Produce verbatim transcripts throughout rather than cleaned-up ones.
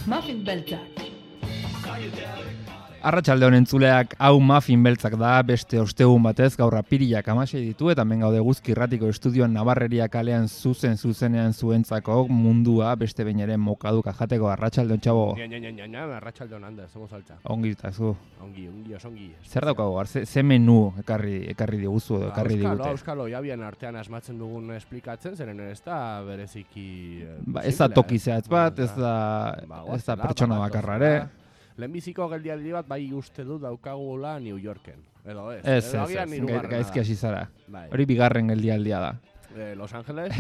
Muffin beltzak. Arratsalde honen entzuleak, hau Muffin beltzak da, beste ostegun batez, gaur apirilak hamasei ditu, eta hemen gaude Guzki Irratiko estudioan Nabarreria kalean zuzen zuzenean zuentzako mundua, beste behin ere mokaduk ajateko. Arratsalde on, txabo. Ja, ja, ja, ja, arratsalde on handa, somos saltza. Ongi eta zu. Ongi, ongi, osongi. Zer daukago, ze, ze menu ekarri, ekarri diguzu edo ekarri digute? Euskalo, euskalo, jabian artean asmatzen dugun esplikatzen, zeren ez da bereziki... Ba, ez da toki zehatz bat, ez da, ez da pertsona bakarrare. Lehenbiziko geldialdi bat bai uste du daukagula New Yorken. Edo ez. Ez, ez, ez, gaizki hasi zara. Hori bigarren geldialdia da. Eh, Los Angeles,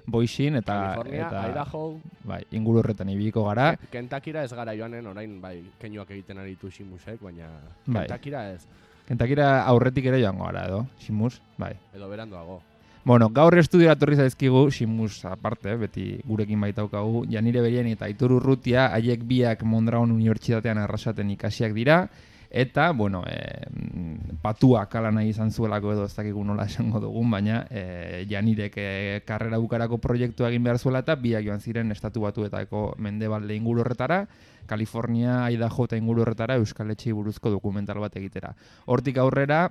Boixin eta... California, eta, Idaho. Bai, inguru horretan ibiliko gara. Kentakira ez gara joanen, orain bai, keinuak egiten aritu Shimusek, baina bai. Kentakira ez. Kentakira aurretik ere joango gara edo, Shimus, bai. Edo berandoago. Bueno, gaur estudiora torri zaizkigu, Shimus aparte, beti gurekin baitaukagu, Janire Berien eta Aitor Urrutia, haiek biak Mondragon Unibertsitatean arrasaten ikasiak dira, eta, bueno, e, patua kala nahi izan zuelako edo ez dakigu nola esango dugun, baina e, Janirek e, karrera bukarako proiektua egin behar zuela eta biak joan ziren estatu batuetako mendebalde inguru horretara, California, Idaho eta inguru horretara Euskal Etxei buruzko dokumental bat egitera. Hortik aurrera,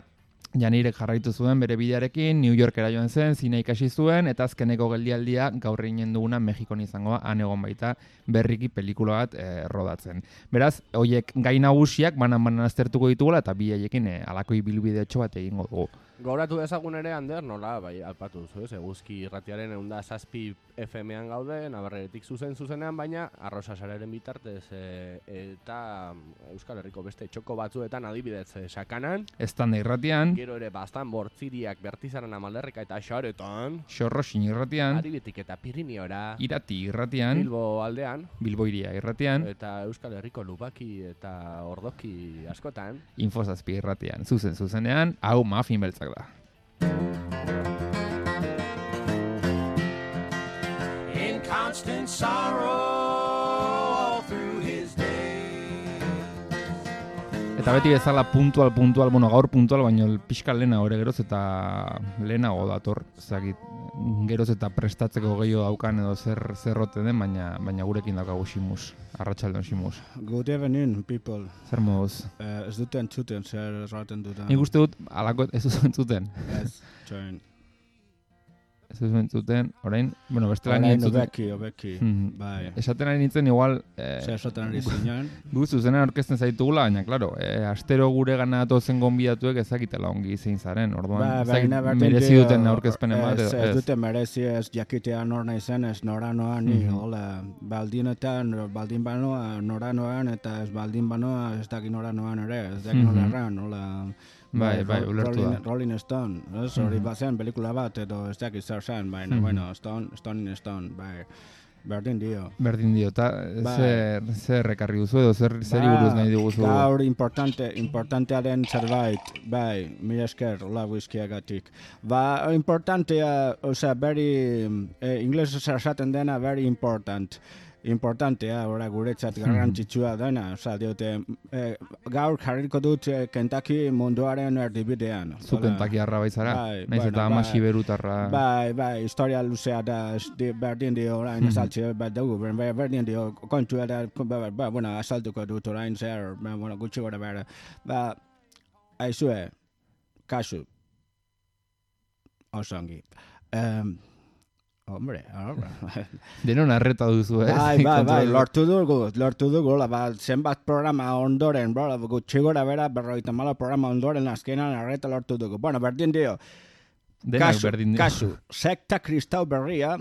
Janirek jarraitu zuen bere bidearekin, New Yorkera joan zen, zine ikasi zuen, eta azkeneko geldialdia gaur eginen duguna Mexikon izangoa, han egon baita berriki pelikula bat e, rodatzen. Beraz, hoiek gai nagusiak banan-banan aztertuko ditugula, eta bi haiekin e, alako ibilbideotxo bat egingo dugu. Gauratu dezagun ere, Ander, nola, bai, alpatu zu, ez, Guzki Irratiaren eunda zazpi F M-an gaude, Nabarreretik zuzen zuzenean, baina Arrosasararen bitartez e, eta Euskal Herriko beste txoko batzuetan adibidez e, Sakanan. Estanda Irratian. Gero ere bastan bortziriak Bertizaran Amalderreka eta Xaretan. Xorroxin Irratian. Aribetik eta Pirineora. Irati Irratian. Bilbo aldean. Bilbo Iria Irratian. Eta Euskal Herriko Lubaki eta Ordoki askotan. Infozazpi Irratian. Zuzen zuzenean, hau Muffin beltzak da. In constant sorrow all through his day. Eta beti bezala puntual, puntual, bueno, gaur puntual, baina pixka lehena hori geroz eta lehenago dator, ezagit, geroz eta prestatzeko gehiago daukan edo zer zerrote den, baina baina gurekin daukagu Shimus, arratsaldon Shimus. Good evening, people. Zer moduz? Uh, ez duten entzuten, zer erraten dudan. Nik uste dut, alako ez dut entzuten. Ez, txoin. Ez dut entzuten, orain, bueno, bestela ni entzuten. Orain obeki, obeki, Mm-hmm. bai. Esaten ari nintzen, igual... Eh, Zer esaten ari zinean. Gu zuzenean orkesten zaitugula, baina, klaro, eh, astero gure gana tozen gonbidatuek ezakitela ongi zein zaren, orduan, Ba, ezakit baina merezi duten aurkezpenen bat, ez, edo, ez dute merezi, ez jakitea nor naizen, ez nora noan, ni, Mhm. hola, baldinetan, baldin banoa, nora noan, eta ez baldin banoa, ez daki nora noan ere, ez daki nola Mhm. erran, hola... Bai, bai, Ro- ulertu Rolling, da. Rolling Stone, ez, hori Mhm. bazen pelikula bat, edo ez daki zer zen, baina, Mhm. bueno, Stone, Stone in Stone, bai, berdin dio. Berdin dio, eta Bai. zer, zer ekarri duzu edo zer zeri buruz nahi diguzu? Gaur importante, importantea den zerbait, bai, mila esker, hola whiskyagatik. Ba, importantea, osea, very, eh, ingles esaten dena, very important. Importantea, ora guretzat garrantzitsua dena, osea, diote, eh, gaur jarriko dut eh, Kentucky munduaren erdibidean. Zu Hola. Kentakiarra baizara, Bai, naiz bueno, eta ama bai. siberutarra. Bai, bai, historia luzea da, ez di- berdin dio orain azaltze bat dugu, ber- ber- berdin dio kontua da, ba, ba, bueno, azaltuko dut orain zer, ba, bueno, gutxi gora bera. Ba, aizue, kasu, osongi. Um, hombre, ahora. Denon arreta duzu, ez? Bai, bai, bai, Kontrol- lortu dugu, lortu dugu, la, ba, zenbat programa ondoren, bro, gutxi gora bera, berroita malo programa ondoren azkenan arreta lortu dugu. Bueno, berdin dio, Denak kasu, berdin dio. kasu, sekta kristau berria,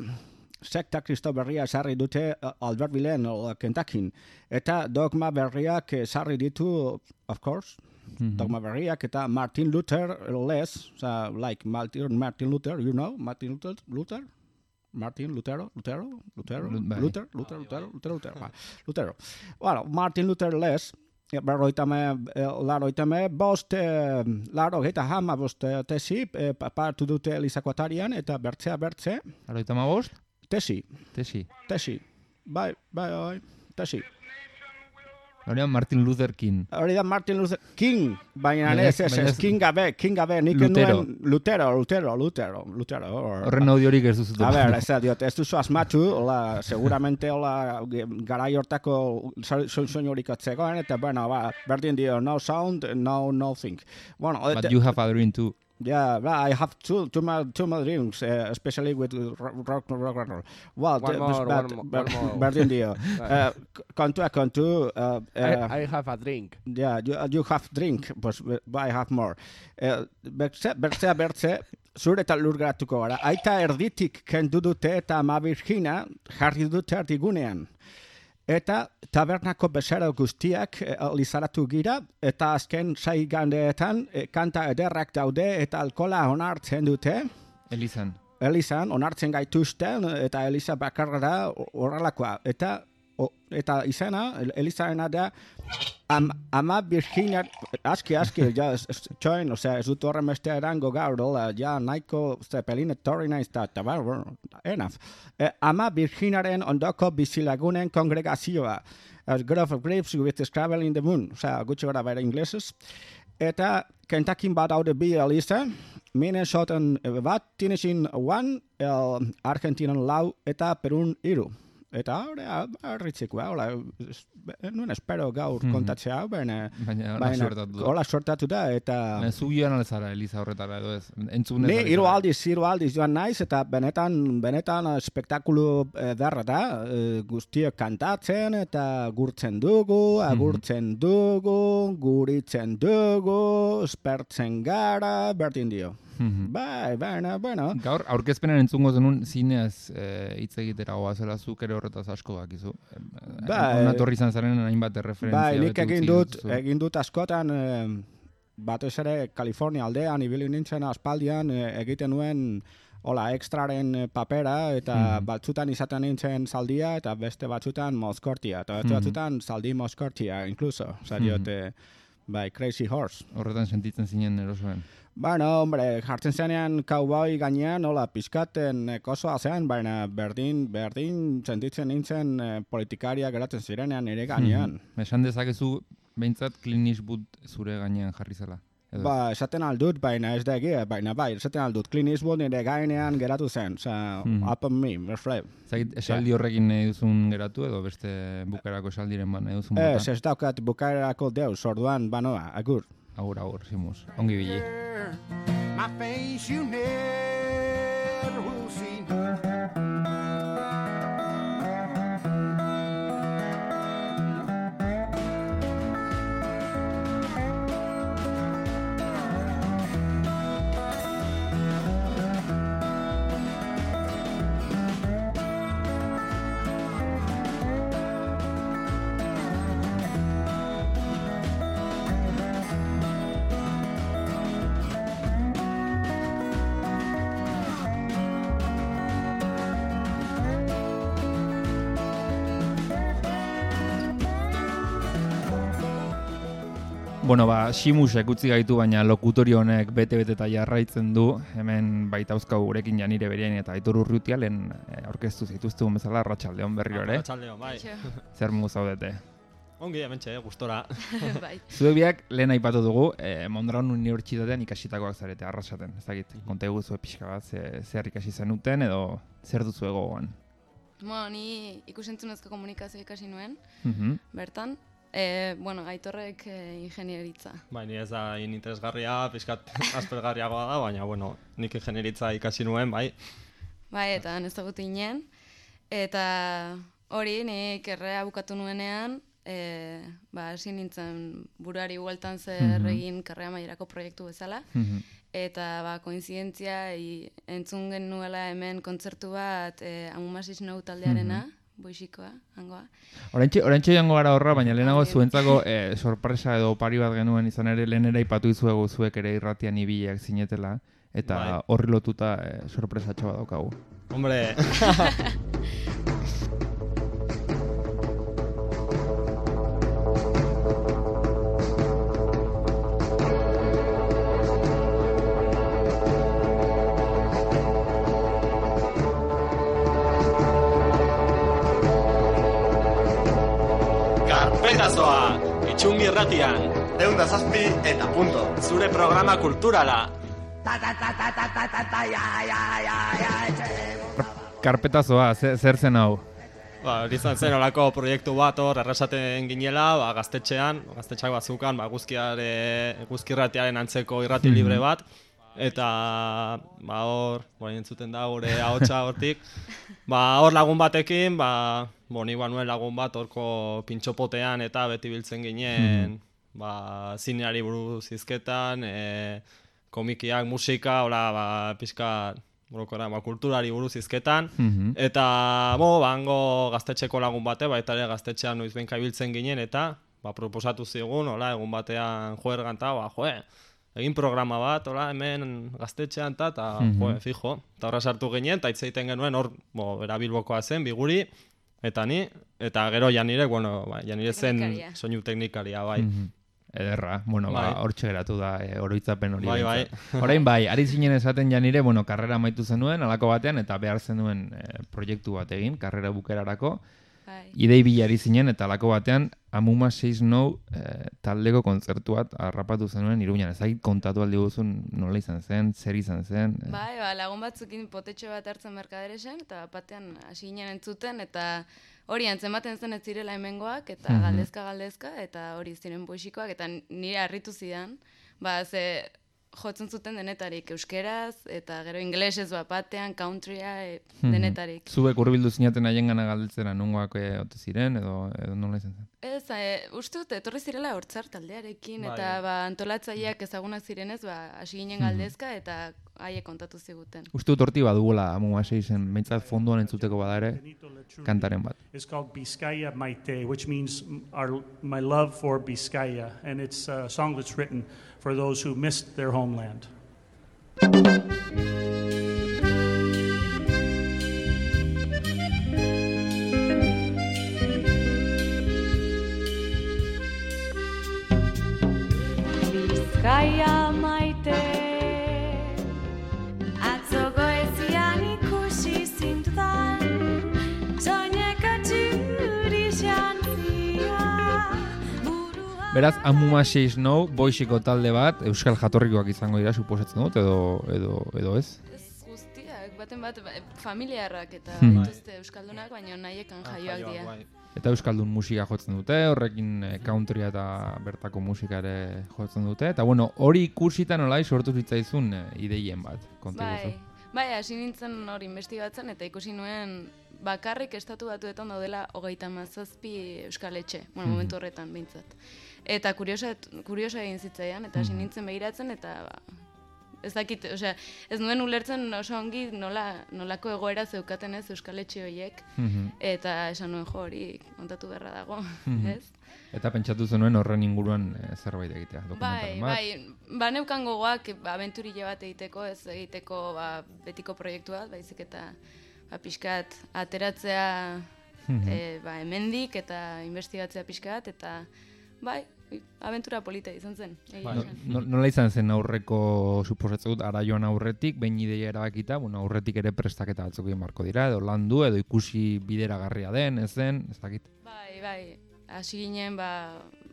sekta kristau berria sarri dute uh, Albertvillen, uh, Kentuckyn, eta dogma berriak eh, sarri ditu, of course, Mhm. dogma berriak, eta Martin Luther less, uh, like Martin, Martin Luther, you know, Martin Luther, Luther? Martin Lutero, Lutero, Lutero, Lu- bai. Luther, Luther, Lutero, Lutero, Lutero, ba, Lutero. Bueno, Martin Luther less, berroitame, laroitame, bost, eh, laro, eta hama bost eh, tesi, eh, pa- partu dute Elizako atarian, eta bertzea bertze, Aroita mabost? tesi, Tesi. tesi, bai, bai, bai, tesi. Hori Martin Luther King. Hori da Martin Luther King, baina Baina ez, ez- ez, baina ez, ez- King gabe, King gabe, nik Lutero. nuen Lutero, Lutero, Lutero, Lutero. or- Horren audiorik ez duzu. A ber, ez da, diot, ez duzu asmatu, hola, seguramente, hola, garai hortako soinurik atzegoen, eta, bueno, ba, berdin dio, no sound, no, nothing. Bueno, But et- you have a dream too. yeah, well, I have two, two more, two more dreams, uh, especially with rock, rock, rock, rock, rock. Well, One the- more, but- one more, but- one more. berdin dio. Uh, kontua kontu, uh, uh, I, I have a drink. yeah, you, you have drink, pues, I have more. Uh, bertze, bertzea, bertze, zure eta lur geratuko gara. Aita erditik kendu dute eta ama Virgina jarri dute erdigunean. Eta tabernako bezero guztiak eh, lizaratu gira, eta azken sai gandeetan eh, kanta ederrak daude eta alkola onartzen dute. Elizan. Elizan onartzen gaituzten eta Eliza bakarra da horrelakoa. Eta o, eta izena, El- Elizarena da am, ama Virginia, aski, aski, ja, ez- ez- txoin, osea, ez dut horren beste erango gaur, hola, ja, nahiko zepelin etorri naiz da, eta bar, bar, enough. Eh, ama Virginaren ondoko bizilagunen kongregazioa. A grove of grapes with a Scrabble in the moon, osea, gutxi gara bere inglesez. Eta Kentuckyn bat daude bi Eliza, Minnesotan bat, Tennessee one, el Argentinan lau eta Perun iru. Eta hori, arritzikoa, hola, es- nuen espero gaur Mhm. kontatzea, baina, Baina hola baina suertatu da. hola sortatu da, eta... Baina zu joan alezara Eliza horretara edo ez. Entzun Ni ez hiru aldiz, hiru aldiz joan naiz, eta benetan, benetan eh, spektakulu ederra da, eh, guztiok kantatzen, eta gurtzen dugu, agurtzen dugu, guritzen dugu, espertzen gara, berdin dio. Mhm. Bai, baina, bueno, Gaur, aurkezpenan entzungo zenun zineaz eh, hitz egitera goazela zuk ere horretaz asko dakizu. Bai. Onatorri izan zaren hainbat referentzia. bai, nik beti egin utzi dut, dituzu. egin dut askotan, eh, batez ere California aldean, ibili nintzen aspaldian, eh, egiten nuen hola, extraren eh, papera, eta Mhm. batzutan izaten nintzen zaldia, eta beste batzutan mozkortia, eta beste Mhm. batzutan zaldi mozkortia, incluso, oza, diot, eh, bai, Crazy Horse. Horretan sentitzen zinen erosoen. Bueno, hombre, jartzen zenean cowboy gainean, hola, pizkaten eh, kosoa zen, baina berdin, berdin sentitzen nintzen eh, politikaria geratzen zirenean ere gainean. Mhm. Esan dezakezu, behintzat Clint Eastwood zure gainean jarri zela. Edo ez? Ba, esaten aldut, baina ez da egia, baina bai, esaten aldut, Clint Eastwood nire gainean geratu zen, oza, Mhm. up on me, reflect. Zagit, esaldi horrekin nahi duzun geratu edo beste bukarako esaldiren ban nahi duzun bota? Ez, ez daukat bukaerako deus, orduan, banoa, agur. Agur, agur, Simus. Ongi bili. My face you never will see. Bueno, ba, Simusek utzi gaitu, baina lokutorio honek bete-bete eta jarraitzen du. Hemen baita uzkau gurekin Janire Beriain eta Aitor Urrutia lehen eh, aurkeztu zituztegun bezala Arratsaldeon berriro ere. Arratsaldeon, bai. Zer mu zaudete? Ongi hementxe, gustora. Bai. Zuek biak lehen aipatu dugu, eh, Mondragon Unibertsitatean ikasitakoak zarete, arrasaten, ez dakit. Konta eguzue pixka bat, ze, zer ikasi zenuten edo zer duzu egoan. Bueno, ni ikusentzunezko komunikazio ikasi nuen, Mhm. bertan. E, bueno, Aitorrek e, ingenieritza. Bai, ni ez da in interesgarria, pizkat aspergarriagoa da, baina, bueno, nik ingenieritza ikasi nuen, bai. Bai, eta ez dagut inen. Eta hori, nik errea bukatu nuenean, e, ba, hasi nintzen buruari bueltan zer Mhm. egin karrera mailerako proiektu bezala. Mhm. Eta ba, koinzidentzia i, entzun genuela hemen kontzertu bat e, Amumasis Nou taldearena, boixikoa, hangoa. Oraintxe, oraintxe joango gara horra, baina lehenago Ah, zuentzako eh, sorpresa edo opari bat genuen izan ere, lehen ere ipatu izuegu zuek ere irratian ibiliak zinetela, eta Bai. horri lotuta eh, sorpresatxo bat daukagu. Hombre, Karpetazoa! Txungi Irratian. Eunda zazpi eta punto. Zure programa kulturala. Karpetazoa, zer zen hau? Ba, hori izan zen olako proiektu bat hor erresaten ginela, ba, gaztetxean, gaztetxak bazukan, ba, guzkiare, guzkirratiaren antzeko irrati libre bat, eta ba, hor, bora entzuten da gure ahotsa hortik, ba, hor lagun batekin, ba, boni banuen lagun bat horko pintxopotean eta beti biltzen ginen, ba, zineari buruz hizketan, e, komikiak, musika, hola, ba, pixka, Borokora, ba, kulturari buruz hizketan, mm-hmm. eta bo, bango gaztetxeko lagun bate, baita ere gaztetxean noiz benka ibiltzen ginen, eta ba, proposatu zigun, hola, egun batean joergan eta, ba, joe, egin programa bat, hola, hemen gaztetxean eta, eta mm-hmm. joe, fijo, eta horra sartu ginen, eta hitz egiten genuen, hor, bo, bera Bilbokoa zen, Biguri, eta ni, eta gero Janire, bueno, ba, Janire zen soinu teknikaria, bai. Mm-hmm. Ederra, bueno, bai. Ba, hortxe geratu da, e, oroitzapen hori. Bai, bai. Orain bai, ari zinen esaten Janire, bueno, karrera amaitu zenuen, alako batean, eta behar zenuen e, proiektu bat egin, karrera bukerarako. Bai. Idei bila ari zinen, eta alako batean, Amuma seis nou e, taldeko kontzertu bat harrapatu zenuen Iruñan. Ezagik kontatu aldi guzun nola izan zen, zer izan zen. E. Bai, ba, lagun batzukin potetxo bat hartzen merkaderesen, eta batean hasi ginen entzuten, eta hori antzematen zen ez zirela hemengoak, eta mm-hmm. galdezka-galdezka, eta hori ziren poesikoak, eta nire harritu zidan, ba, ze jotzen zuten denetarik euskeraz, eta gero ingelesez bat batean, countrya, e, mm-hmm. denetarik. Zuek urbildu zinaten haien gana galdetzera nongoak e, ote ziren, edo, edo nola izan zen? Ez, e, uste dut, etorri zirela hortzar taldearekin, bai. Eta ba, antolatzaileak ezagunak zirenez, ba, hasi ginen galdezka, eta haiek kontatu ziguten. Uste dut horti badugula Amuma seizen, behintzat fonduan entzuteko badare, kantaren bat. It's called Bizkaia Maite, which means our, my love for Bizkaia, and it's a song that's written for those who missed their homeland. Bizkaia maite, atzo goezian ikusi zintudan, soineka txuri xantzia. Beraz, Amuma seis nou, boixiko talde bat, euskal jatorrikoak izango dira, suposatzen dut, edo, edo, edo ez? Ez guztiak, baten bat, familiarrak eta hmm. dituzte euskaldunak, baina nahiekan jaioak dira. Eta euskaldun musika jotzen dute, horrekin countrya eta bertako musika ere jotzen dute. Eta bueno, hori ikusita nolai sortu zitzaizun ideien bat, kontu guzu. Bai, bai, hasi nintzen hori investigatzen eta ikusi nuen bakarrik estatu batuetan daudela hogeita hamazazpi euskal etxe, bueno, mm-hmm. momentu horretan behintzat. Eta kuriosa, kuriosa egin zitzaidan, eta hasi nintzen behiratzen, eta ba, ez dakit, osea, ez nuen ulertzen oso ongi nola, nolako egoera zeukaten ez euskal etxe horiek, mm-hmm. eta esan nuen jo hori kontatu beharra dago, mm-hmm. ez? Eta pentsatu zenuen horren inguruan e, zerbait egitea, bai, bai, ba neukan gogoak ba, abenturile bat egiteko, ez egiteko ba, betiko proiektu bat, baizik eta ba, pixkat ateratzea mm-hmm. e, ba, hemendik eta investigatzea pixkat, eta bai, abentura polita izan zen. No, no, nola izan zen aurreko, suposatzen dut, ara joan aurretik, behin ideia erabakita, bueno, aurretik ere prestaketa batzuk egin marko dira, edo landu, edo ikusi bideragarria den, ez den, ez dakit. Bai, bai, hasi ginen, ba,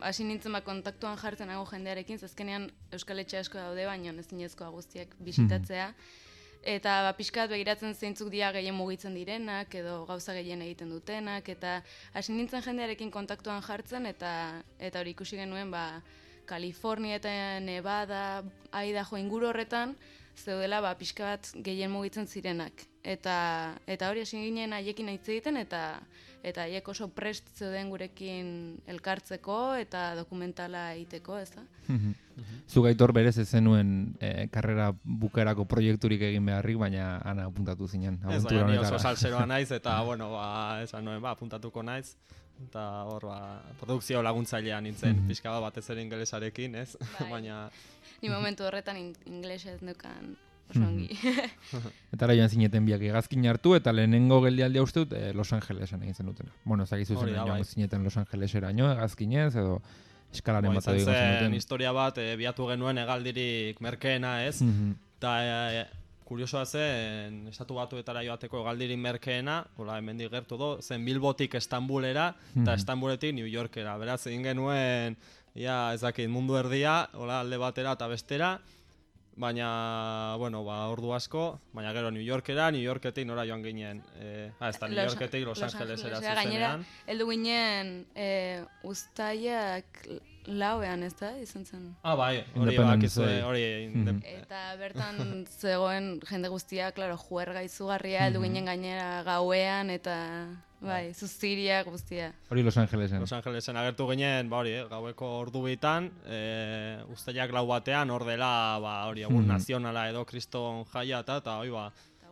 hasi nintzen ba kontaktuan jartzen nago jendearekin, zazkenean Euskal Etxe asko daude, baina ez zinezkoa guztiak bisitatzea. Mm-hmm. Eta ba, pixkat begiratzen zeintzuk dira gehien mugitzen direnak, edo gauza gehien egiten dutenak, eta hasi nintzen jendearekin kontaktuan jartzen, eta eta hori ikusi genuen, ba, Kalifornia eta Nevada, Idaho inguru horretan, zeudela ba, pixkat gehien mugitzen zirenak. Eta, eta hori hasi ginen haiekin hitz egiten, eta eta haiek oso prest zeuden gurekin elkartzeko, eta dokumentala egiteko, ez da? Zu Gaitor berez ez zenuen e, karrera bukerako proiekturik egin beharrik, baina ana apuntatu zinen. Ez, baina ni oso salseroa naiz, eta bueno, ba, esan nuen, ba, apuntatuko naiz. Eta hor, ba, produkzio laguntzailea nintzen, mm-hmm. pixka bat batez ere ingelesarekin, ez? Bai. Baina... Ni momentu horretan in- ingelesez neukan oso ongi. Eta ara joan zineten biak egazkin hartu, eta lehenengo geldialdia uste dut eh, Los Angelesan egin zen dutena. Bueno, ezakizu zen joan bai. zineten Los Angeleseraino egazkinez, edo eskalaren bat edo zen historia bat, e, biatu genuen hegaldirik merkeena, ez? Eta mm-hmm. e, kuriosoa zen, estatu batuetara joateko galdirin merkeena, hola, hemendik gertu do, zen Bilbotik Estambulera, eta Estambuletik New Yorkera. Beraz, egin genuen, ja, ez dakit, mundu erdia, hola, alde batera eta bestera, baina, bueno, ba, ordu asko, baina gero New Yorkera, New Yorketik nora joan ginen, eh, ah, ez da, New Yorketik Los, Los Angelesera zuzenean. Gainera, heldu ginen eh, ustaiak lauean, ez da, izan zen? Ah, bai, hori bakizue, hori... Eta bertan zegoen jende guztia, klaro, juerga izugarria, heldu ginen gainera gauean, eta... Bai, zuziria guztia. Hori Los Angelesen. Los Angelesen agertu ginen, ba hori, eh, gaueko ordu bitan, eh, ustailak lau batean, hor dela, ba hori, egun nazionala edo kriston jaia eta, eta hori ba...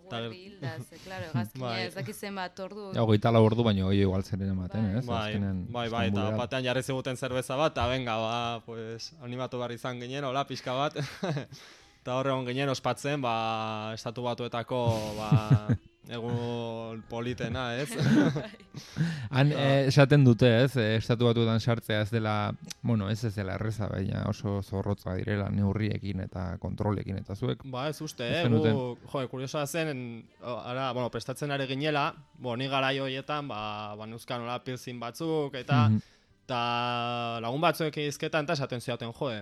Eta guerri hilda, ze, klaro, gazkine, ez dakizen bat ordu... Ja, hogeita lau ordu, baina hori igual zeren ematen, ez? Bai, bai, bai, eta batean jarri ziguten zerbeza bat, eta venga, ba, pues, animatu behar izan ginen, hola, pixka bat, eta horre hon ginen ospatzen, ba, estatu batuetako, ba... egun politena, ez? Han esaten dute, ez? Estatu batuetan sartzea ez dela, bueno, ez ez dela erreza, baina oso zorrotza direla neurriekin eta kontrolekin eta zuek. Ba, ez uste, eh? Gu, jo, kuriosoa zen, ara, bueno, prestatzen ari ginela, bo, ni garai horietan, ba, ba neuzkan hola pilzin batzuk, eta, eta lagun batzuek izketan, eta esaten zioten, jo,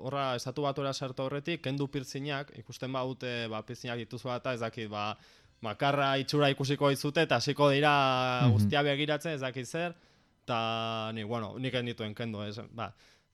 horra, estatu batuera sartu horretik, kendu pilzinak, ikusten baute, ba, pilzinak dituzu eta ez dakit, ba, makarra itxura ikusiko izute eta hasiko dira guztia begiratzen ez dakit zer, eta ni, bueno, nik endituen kendu, ez, ba,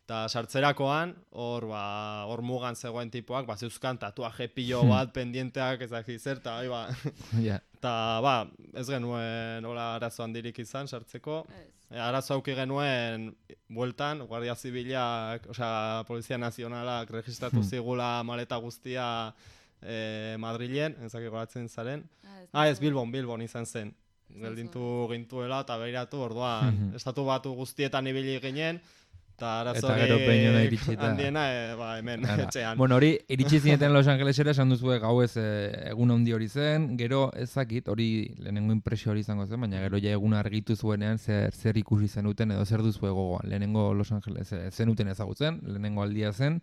eta sartzerakoan, hor, ba, hor mugan zegoen tipoak, ba, zeuzkan tatuaje pilo bat, pendienteak ez dakit zer, eta, bai, ba, eta, ba, ez genuen, hola, arazo handirik izan, sartzeko, e, arazo auki genuen, bueltan, Guardia Zibilak, osea, Polizia Nazionalak registratu zigula maleta guztia, Eh, Madrilen, ezak goratzen zaren. Ah, ez Bilbon, Bilbon izan zen. Geldintu gintuela eta behiratu, orduan, estatu batu guztietan ibili ginen, eta arazorik handiena, e, ba, hemen, etxean. Bueno, hori, iritsi zineten Los Angelesera, esan duzu gau ez e, egun handi hori zen, gero ezakit, hori lehenengo impresio hori izango zen, baina gero ja egun argitu zuenean zer, zer ikusi zenuten edo zer duzu gogoan. Lehenengo Los Angeles e, zenuten ezagutzen, lehenengo aldia zen,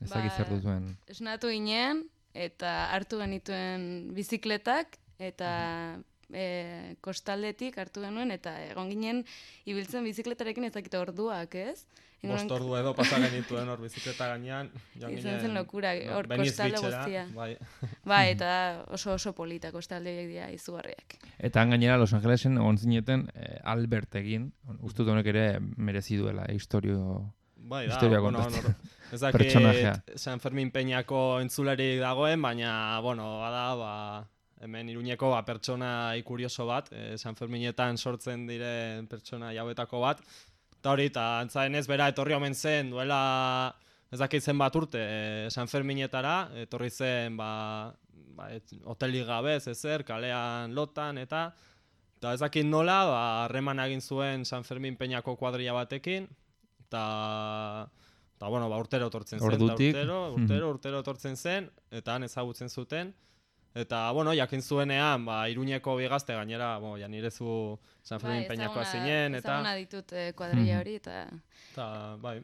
ezakit zer duzuen. Esnatu ginen, eta hartu genituen bizikletak, eta e, kostaldetik hartu genuen, eta egon ginen ibiltzen bizikletarekin ezakite orduak, ez? Bost ordu edo pasa genituen hor bizikleta gainean. Izan zen lokura, hor kostalde guztia. Bai. Bai, eta oso oso polita kostaldeak dira izugarriak. Eta gainera Los Angelesen egon zineten eh, Albert egin, uste dut honek ere merezi duela historio... Bai, da, bueno, no, ez dakit San Fermin Peñako entzularik dagoen, baina, bueno, bada, ba, hemen Iruñeko ba, pertsona ikurioso bat, eh, San Ferminetan sortzen diren pertsona jauetako bat, eta hori, eta antzaen ez bera etorri omen zen, duela, ez dakit zen bat urte, eh, San Ferminetara, etorri zen, ba, ba hotelik gabe, ezer, kalean lotan, eta, eta ez dakit nola, ba, harreman egin zuen San Fermin Peñako kuadrilla batekin, eta, eta bueno, ba, urtero etortzen zen, Ordutik. urtero, urtero, urtero etortzen zen, eta han ezagutzen zuten, eta, bueno, jakin zuenean, ba, Iruñeko bigazte gainera, bo, ja nirezu San Fermin bai, Peñakoa zinen, eta... Ezaguna ditut eh, kuadrilla hori, eta... Eta, bai...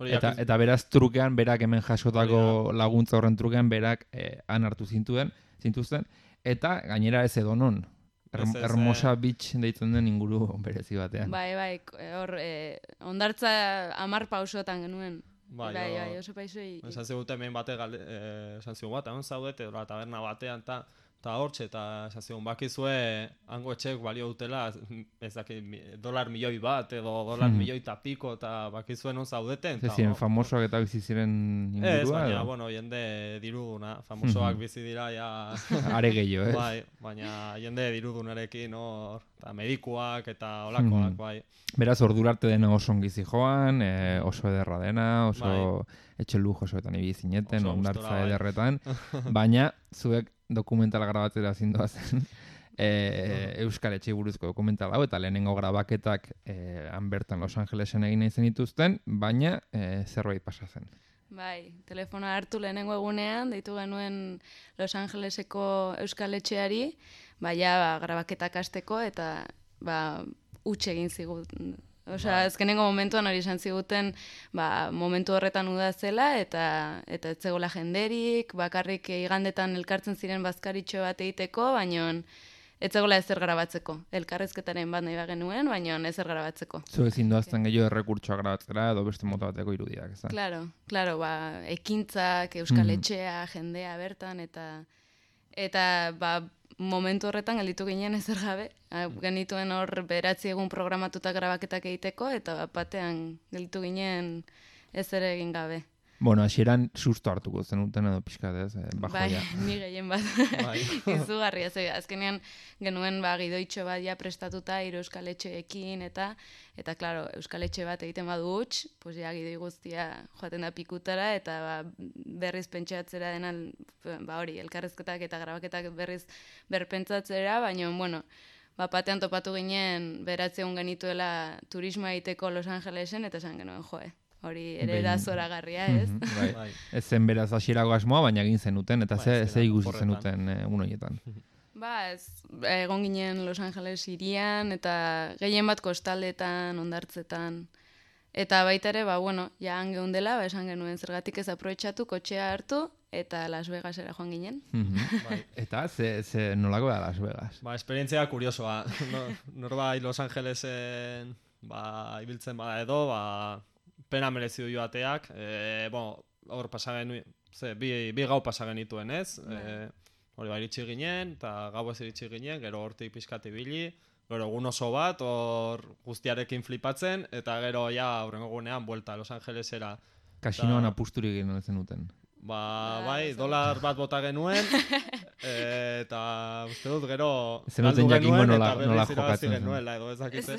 Eta, eta beraz trukean, berak hemen jasotako laguntza horren trukean, berak eh, han hartu zintuen, zintuzten, eta gainera ez edonon. Erm, Hermosa Beach deitzen den inguru berezi batean. Bai, bai, hor, eh, ondartza amar pausotan genuen. Bai, bai, bai, oso paisoi. Esan zigute hemen bate, eh, esan zigun bat, egon zaudete, taberna batean, eta eta hortxe, eta esan zigun, bakizue, hango etxek balio dutela, ez dakit, dolar milioi bat, edo dolar hmm. milioi eta piko, eta bakizue non zaudeten. Ez ziren, famosoak eta bizi ziren ingurua? Ez, baina, edo? Bueno, jende diruduna, famosoak hmm. bizi dira, ja... Are gehiago, ez? Bai, baina jende dirudunarekin, hor, eta medikuak, eta olakoak, hmm. bai. Beraz, ordurarte dena oso ongizi joan, e, oso ederra dena, oso bai. Etxe lujosoetan ibizineten, ondartza bai. Ederretan, baina, zuek dokumentala grabatzera zindoa zen, e, Euskal Etxe buruzko dokumentala hau, eta lehenengo grabaketak e, han bertan Los Angelesen egin nahi zen dituzten, baina e, zerbait pasa zen. Bai, telefonoa hartu lehenengo egunean, deitu genuen Los Angeleseko Euskal Etxeari, baina ba, grabaketak hasteko, eta ba, utxe egin zigut Osea, azkenengo momentuan hori esan ziguten, ba, momentu horretan uda zela, eta eta ez zegoela jenderik, bakarrik igandetan elkartzen ziren bazkaritxo bat egiteko, baino ez zegoela ezer grabatzeko. Elkarrezketaren bat nahi bagenuen, baino ezer grabatzeko. Zu ezin doazten gehiago errekurtsoa grabatzera edo beste mota bateko irudiak, ez da? Claro, claro, ba, ekintzak, Euskal Etxea, jendea bertan, eta eta ba, momentu horretan gelditu ginen ezer gabe. Genituen hor beratzi egun programatuta grabaketak egiteko, eta batean gelditu ginen ezer egin gabe. Bueno, hasieran susto hartuko zenuten edo pixkat, ez? Eh, bajoia. Bai, ni gehien bat. Bai. Izugarria, ze azkenean genuen ba gidoitxo bat ja prestatuta hiru Euskal Etxeekin eta eta claro, Euskal Etxe bat egiten badu huts, pues ja gidoi guztia joaten da pikutara eta ba, berriz pentsatzera denan ba hori, elkarrezketak eta grabaketak berriz berpentsatzera, baina bueno, ba batean topatu ginen beratze egun genituela turismoa egiteko Los Angelesen eta esan genuen joe. Hori ere da zoragarria, ez? Mm -hmm, bai. Ez zen beraz hasierako asmoa, baina egin zenuten, eta ze, ze ikusi zenuten egun horietan. Ba, ez, egon ginen Los Angeles hirian, eta gehien bat kostaldetan, ondartzetan. Eta baita ere, ba, bueno, ja han dela, ba, esan genuen zergatik ez aprobetxatu, kotxea hartu, eta Las Vegasera joan ginen. Mm -hmm. Bai. Eta ze, ze nolako da Las Vegas? Ba, esperientzia kuriosoa. No, norbait Los Angelesen ba, ibiltzen bada edo, ba, pena merezi du joateak, e, bueno, hor pasagen, ze, bi, bi gau pasagen dituen, ez? E, hori ba, iritsi ginen, eta gau ez iritsi ginen, gero hortik pixkat ibili, gero egun oso bat, hor guztiarekin flipatzen, eta gero ja aurrengo gunean, buelta Los Angelesera. Kasinoan apusturik egin zenuten. Ba, bai, dolar bat bota genuen, e, eta uste dut gero galdu genuen eta berriz irabazi genuela, edo ezakitze.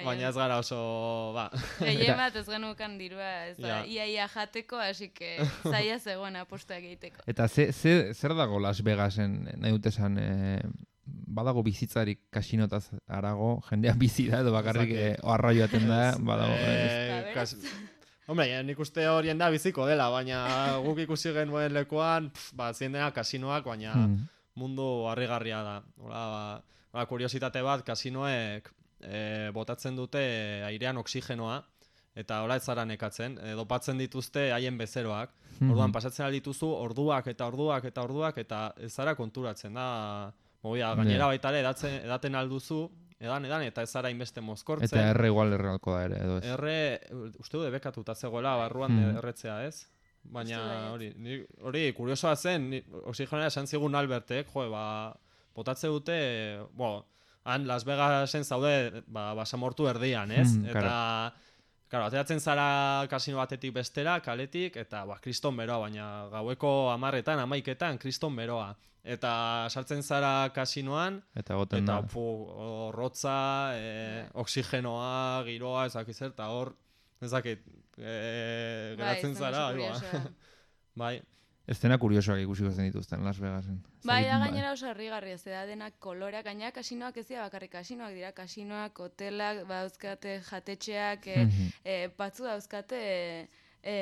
Baina ez gara oso, ba. Gehien bat ez genukan dirua, ez da, ia-ia jateko, así que zaila zegoen apostuak egiteko. Eta ze, ze, zer dago Las Vegasen, nahi dut esan, e, badago bizitzarik kasinotaz arago, jendean bizi da, edo bakarrik e, oarra joaten da, badago. E, kas... Hombre, nik uste horien da biziko dela, baina guk ikusi genuen lekuan, pf, ba, zien dena kasinoak, baina mm. mundu harrigarria da. Hola, ba, ba, kuriositate bat, kasinoek e, botatzen dute airean oksigenoa, eta hola ez zara nekatzen, e, dopatzen dituzte haien bezeroak. Mm-hmm. Orduan, pasatzen aldituzu orduak eta orduak eta orduak, eta ez zara konturatzen da. Mobia, gainera baita ere edatzen, edaten alduzu, edan, edan, eta ez zara inbeste mozkortzen. Eta erre igual errealko da ere, edo ez? Erre, uste du debekatuta zegoela barruan mm. erretzea, ez? Baina hori, hori, kuriosoa zen, oxigenera esan zigun Albertek, jo, ba, botatze dute, bo, han Las Vegasen zaude, ba, basamortu erdian, ez? Mm, eta, claro, ateratzen zara kasino batetik bestera, kaletik, eta, ba, kriston beroa, baina gaueko hamarretan, hamaiketan, kriston beroa. Eta sartzen zara kasinoan, eta goten da. Eta rotza, e, oksigenoa, giroa, ezakit zer, eta hor, ezakit, e, geratzen zara. Bai. Ez dena kuriosoak ikusiko zen dituzten Las Vegasen. Bai, da gainera oso harrigarria, ez da denak koloreak, gainera kasinoak ez dira bakarrik kasinoak, dira kasinoak, hotelak, dauzkate jatetxeak, e, e, batzu dauzkate... E,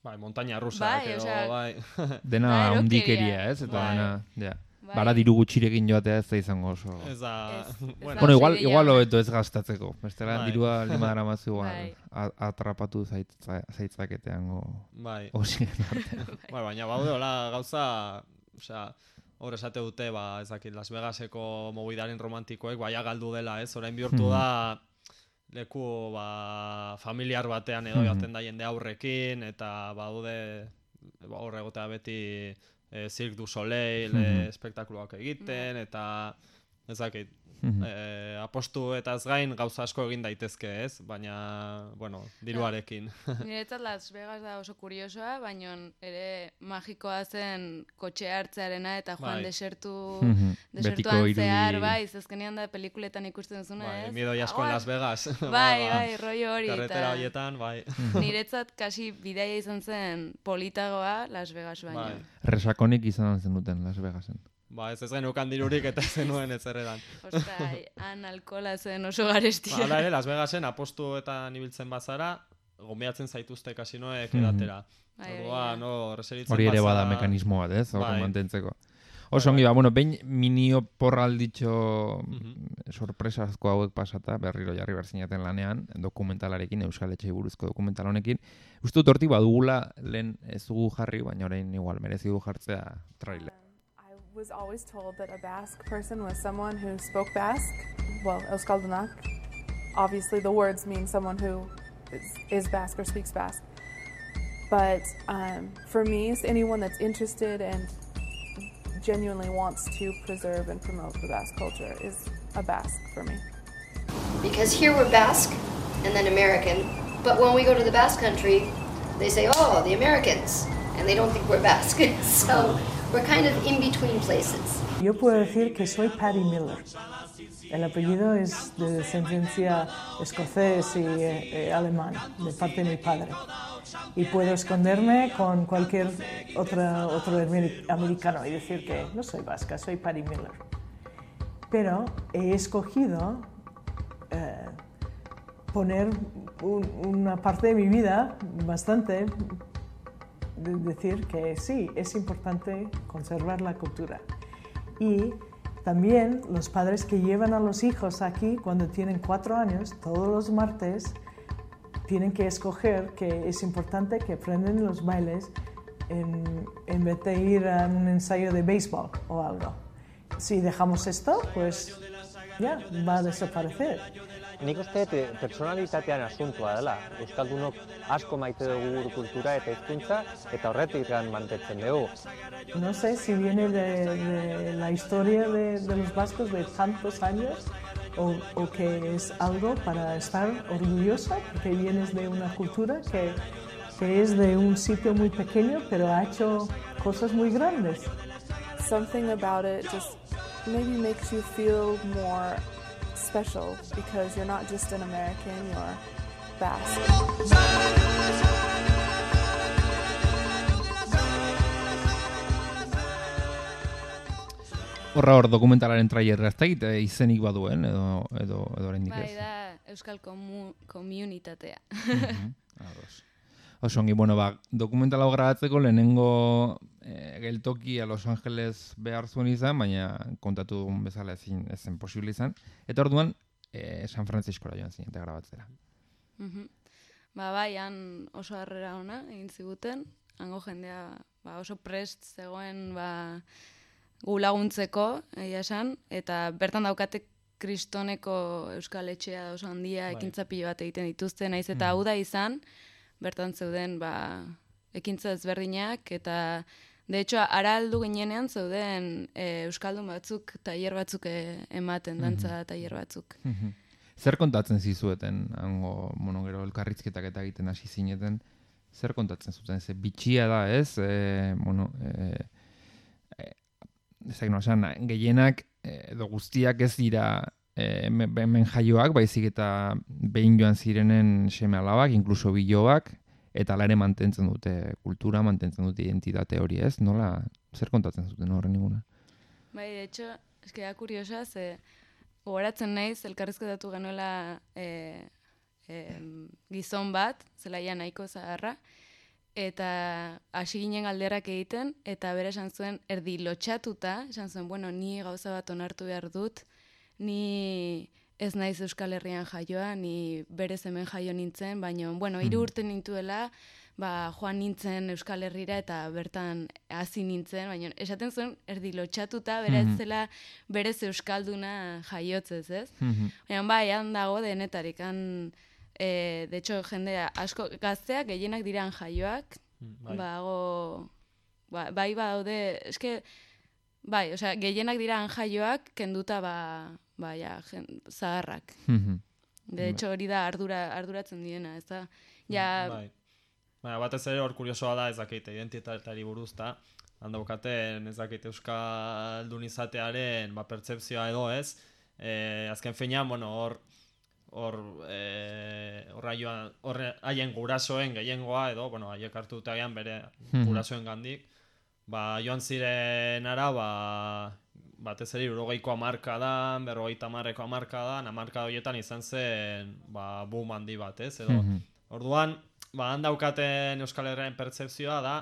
bai, montaña rusa, bai, edo, osea, bai. Dena ondikeria, ez? Eta bai. dena, ja. Bai. Bara diru gutxirekin joatea ez da izango oso. Ez da... Ez, bueno, bueno, igual, igual hobeto ez gastatzeko. Bestela bai. dirua lima dara mazu igual. Bai. Atrapatu zaitza, zaitzaketean go... Bai. Oxien artean. Bai, baina baude, hola, gauza... Osea, hor esate dute, ba, ez dakit, Las Vegaseko mobidaren romantikoek, baia galdu dela, ez? Orain bihurtu da... leku ba, familiar batean edo joaten da jende aurrekin, eta baude ba, horre egotea beti e, Cirque du Soleil e, espektakuluak egiten, eta ez dakit, e, apostu eta ez gain gauza asko egin daitezke, ez? Baina, bueno, diruarekin. Niretzat Las Vegas da oso kuriosoa, baina ere magikoa zen kotxe hartzearena eta joan bai. desertu, Mhm. desertuan Betiko zehar, irudi- bai, zazkenean da pelikuletan ikusten duzuna, Bai, ez? miedo jasko en Ah, Las Vegas. Bai, bai, rollo hori. Karretera eta horietan, bai. Niretzat kasi bidaia izan zen politagoa Las Vegas baino. Bai. Resakonik izan zenuten Las Vegasen. Ba, ez ez genukan dirurik eta ez zenuen ez erredan. Ostra, han alkola zen oso garestia. Hala ere, Las Vegasen apostuetan ibiltzen bazara, gombiatzen zaituzte kasinoek edatera. Bai, Orduan, no, reseritzen Hori ere bazara- bada mekanismo bat, ez? Hor Bai. mantentzeko. Oso ongi, ba, bueno, behin minio porralditxo sorpresazko hauek pasata, berriro jarri berzinaten lanean, dokumentalarekin, Euskal Etxei buruzko dokumental honekin. Uste dut hortik badugula lehen ez dugu jarri, baina orain igual merezi du jartzea trailer. I was always told that a Basque person was someone who spoke Basque, well, Euskaldunak. Obviously the words mean someone who is, is Basque or speaks Basque. But um, for me, it's anyone that's interested and genuinely wants to preserve and promote the Basque culture is a Basque for me. Because here we're Basque and then American, but when we go to the Basque country, they say, oh, the Americans, and they don't think we're Basque. So we're kind of in between places. Yo puedo decir que soy Patty Miller. El apellido es de descendencia escocés y eh, alemán, de parte de mi padre. Y puedo esconderme con cualquier otra, otro americano y decir que no soy vasca, soy Patty Miller. Pero he escogido eh, poner un, una parte de mi vida bastante de decir que sí, es importante conservar la cultura. Y también los padres que llevan a los hijos aquí cuando tienen cuatro años, todos los martes, tienen que escoger que es importante que aprendan los bailes en, en vez de ir a un ensayo de béisbol o algo. Si dejamos esto, pues ya va a desaparecer. Nik uste personalitatean asuntua dela. Euskaldunok asko maite dugu gure kultura eta hizkuntza eta horretik mantentzen dugu. No sé si viene de, de la historia de, de los vascos de tantos años o, o que es algo para estar orgullosa, porque vienes de una cultura que, que es de un sitio muy pequeño, pero ha hecho cosas muy grandes. Something about it just maybe makes you feel more special because you're not just an American, you're Basque. Horra hor dokumentalaren trailerra ez da egite izenik baduen edo edo edo oraindik ez. Bai, da Euskal komu, komunitatea. Ados. Oso ongi, bueno, ba, dokumental hau grabatzeko lehenengo e, geltoki a Los Angeles behar zuen izan, baina kontatu dugun bezala ezin ezen posible izan. Eta orduan e, San Franciscora joan zinete grabatzera. Mhm. Ba, bai, han oso harrera ona egin ziguten, hango jendea ba, oso prest zegoen ba, gu laguntzeko, egia esan, eta bertan daukate kristoneko Euskal Etxea oso handia Bai. ekintza pilo bat egiten dituzte, naiz eta hau da izan, bertan zeuden ba, ekintza ezberdinak, eta de hecho, ara aldu ginenean zeuden e, Euskaldun batzuk, tailer batzuk e, ematen, dantza tailer batzuk. Zer kontatzen zizueten, hango, bueno, gero elkarrizketak eta egiten hasi zineten, zer kontatzen zuten, ze bitxia da, ez? E, bueno, e, e, ezak no, esan, gehienak edo guztiak ez dira e, hemen jaioak, baizik eta behin joan zirenen seme alabak, inkluso biloak, eta ala ere mantentzen dute kultura, mantentzen dute identitate hori, ez? Nola, zer kontatzen zuten horren ninguna? Bai, de hecho, eske da kuriosa, ze gogoratzen naiz, elkarrizketatu genuela e, e, gizon bat, zelaia nahiko zaharra, eta hasi ginen galderak egiten, eta bere esan zuen, erdi lotxatuta, esan zuen, bueno, ni gauza bat onartu behar dut, ni ez naiz Euskal Herrian jaioa, ni berez hemen jaio nintzen, baina, bueno, hiru urte nintuela, ba, joan nintzen Euskal Herrira eta bertan hasi nintzen, baina esaten zuen erdi lotxatuta, bera ez zela berez Euskalduna jaiotzez, ez? Baina, bai, han dago denetarik, han, e, de hecho, jendea asko gazteak gehienak diran jaioak, bai. bago, ba, bai badaude, eske, bai, osea, gehienak diran jaioak, kenduta, ba, ba, ja, jen, zaharrak. De hecho, hori da ardura, arduratzen diena, ez da? Ja, bai. Baina, batez ere hor kuriosoa da ez dakite identitateari buruz, ta handaukaten ez dakite euskaldun izatearen ba, pertsepzioa edo ez. E, azken finean, bueno, hor hor e, hor haien gurasoen gehiengoa edo, bueno, haiek hartu dute agian bere gurasoen gandik, ba, joan ziren ara, ba, batez ere hirurogeiko hamarkadan, berrogeita hamarreko hamarkadan, hamarkada horietan izan zen ba, boom handi bat, ez? Edo, orduan, ba, handaukaten Euskal Herriaren pertsepzioa da,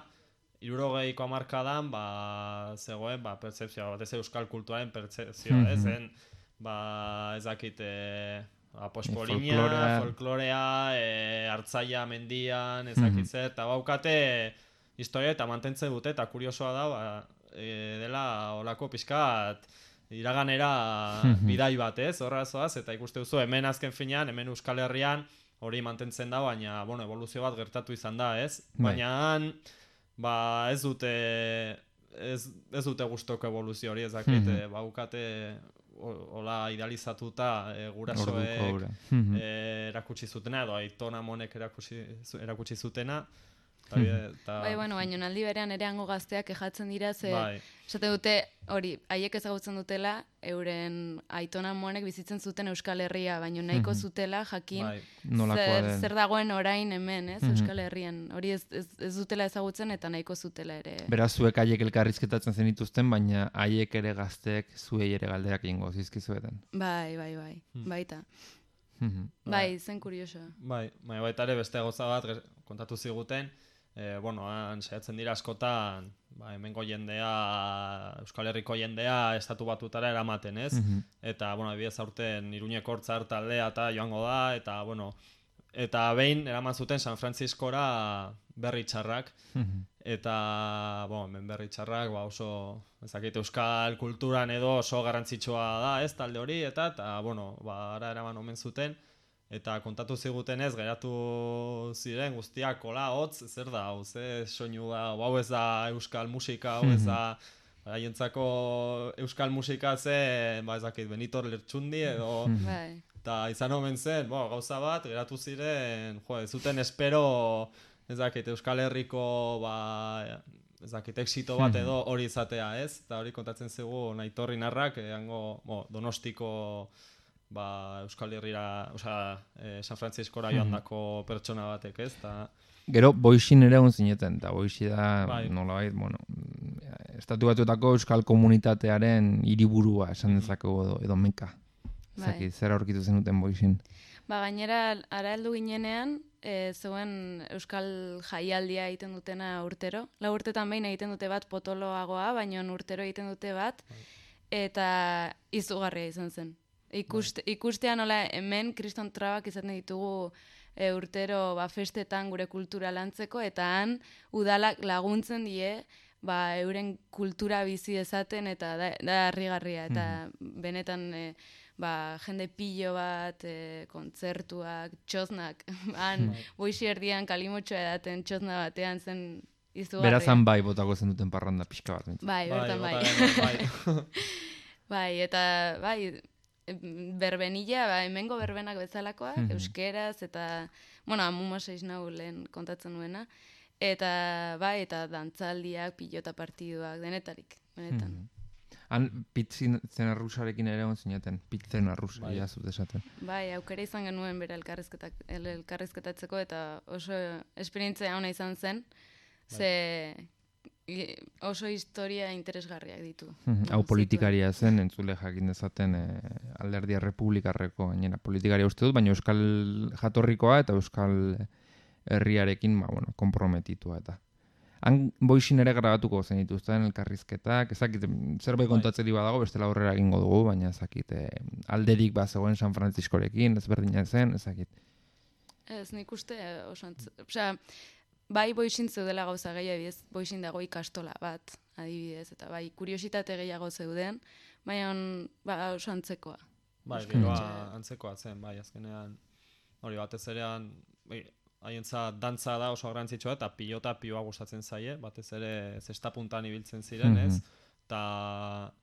hirurogeiko hamarkadan, ba, zegoen, ba, pertzepzioa, batez euskal kulturaren pertzepzioa, Mhm. ez zen, ba, ez dakit, e, ba, pospolinia, folklorea. folklorea, e, hartzaia mendian, ez dakit zer, eta baukate historia eta mantentzen dute, eta kuriosoa da, ba, e, dela olako pixkat, iraganera Mhm. bidai bat, ez, horra zoaz, eta ikuste duzu, hemen azken finean, hemen Euskal Herrian, hori mantentzen da, baina, bueno, evoluzio bat gertatu izan da, ez? Bai. Baina han, ba, ez dute, ez, ez dute gustoko evoluzio hori, ez dakit, Mhm. eh, baukate, o- hola idealizatuta e, Orduko gurasoek hura. Mhm. e, erakutsi zutena, edo Aiton Amonek erakutsi, zu- erakutsi zutena, eta, Mhm. eta Bai, bueno, baina aldi berean ere hango gazteak kejatzen dira, ze Bai. esate dute, hori, haiek ezagutzen dutela, euren Aiton Amonek bizitzen zuten Euskal Herria, baina nahiko Mhm. zutela jakin Bai. Nolakoa zer, den. zer dagoen orain hemen, ez, Mhm. Euskal Herrian. Hori ez, ez, ez dutela ezagutzen eta nahiko zutela ere. Beraz, zuek haiek elkarrizketatzen zenituzten, baina haiek ere gazteek zuei ere galderak ingo zizkizueten. Bai, bai, bai, Hmm. baita. Mhm. Bai, zen kuriosoa. Bai, baina baita ere beste gauza bat ger- kontatu ziguten, e, bueno, han saiatzen dira askotan, ba, hemengo jendea, Euskal Herriko jendea estatu batutara eramaten, ez? Mhm. Eta, bueno, adibidez aurten Iruñeko Hortzar taldea eta joango da, eta, bueno, eta behin eraman zuten San Frantziskora berri txarrak, Mhm. eta, bueno, hemen berri txarrak, ba, oso, ezakit, euskal kulturan edo oso garrantzitsua da, ez, talde hori, eta, eta, bueno, ba, ara eraman omen zuten, eta kontatu zigutenez, geratu ziren guztiak, kola, hotz, zer da, hau, ze soinu da, hau ez da euskal musika, hau ez da, haientzako euskal musika ze, ba, ez dakit, Benito Lertxundi edo, Bai. eta izan omen zen, bo, gauza bat, geratu ziren, jo, ez zuten espero, ez dakit, Euskal Herriko, ba, ez dakit, exito bat edo hori izatea, ez? Eta hori kontatzen zigu Aitor Inarrak, eango, bo, Donostiko, ba, Euskal Herrira, osea, eh, San Frantziskora joandako pertsona batek, ez? Ta, Gero, boixin ere egon zineten, eta boixi da, Bai. nolabait, bueno, estatu batuetako euskal komunitatearen hiriburua esan dezakegu edo, edo meka. Bai. Zaki, zer aurkitu zenuten boixin? Ba, gainera, ara heldu ginenean, e, zeuen Euskal Jaialdia egiten dutena urtero. La urtetan behin egiten dute bat potoloagoa, baina urtero egiten dute bat, eta izugarria izan zen. Ikuste, ikustea nola hemen kriston trabak izaten ditugu e, urtero ba, festetan gure kultura lantzeko, eta han udalak laguntzen die, ba, euren kultura bizi dezaten, eta da, da harrigarria, eta benetan e, ba, jende pillo bat, e, kontzertuak, txosnak, han boixi erdian kalimotxoa edaten txosna batean zen izugarria. Berazan bai botako zenuten parranda pixka bat. bintzat. Bai, bertan bai. bai. Bai, eta bai, em, berbenilla, ba, hemengo berbenak bezalakoak, Mhm. euskeraz, eta, bueno, amuma seiz nau lehen kontatzen nuena, eta bai, eta dantzaldiak, pilota partiduak, denetarik, benetan. Mhm. Han pitzen arrusarekin ere egon zineten, pitzen arrus, Bai. ja zut esaten. Bai, aukera izan genuen bera elkarrizketak, el- elkarrizketatzeko, eta oso esperientzia ona izan zen, ze i- oso historia interesgarriak ditu. Mhm. Hau politikaria zen, entzule jakin dezaten e, alderdia republikarreko gainera. Politikaria uste dut, baina euskal jatorrikoa eta euskal herriarekin, ba, bueno, komprometitua eta. Han boixin ere grabatuko zen dituzten elkarrizketak, ezakit, zerbait kontatzeri badago, bestela aurrera egingo dugu, baina ezakit, e, alderik ba zegoen San Frantziskorekin, ezberdina zen, ezakit. Ez, nik uste eh, oso antz... Osea, bai boixin zeudela gauza gehiago, ez boixin dago ikastola bat, adibidez, eta bai kuriositate gehiago zeuden, baina ba, oso antzekoa. Bai, Euskal giroa Etxea. antzekoa zen, bai, azkenean, hori batez erean, bai, haientzat dantza da oso garrantzitsua, eta pilota piloa gustatzen zaie, batez ere zestapuntan ibiltzen ziren, ez? Mhm. Ta,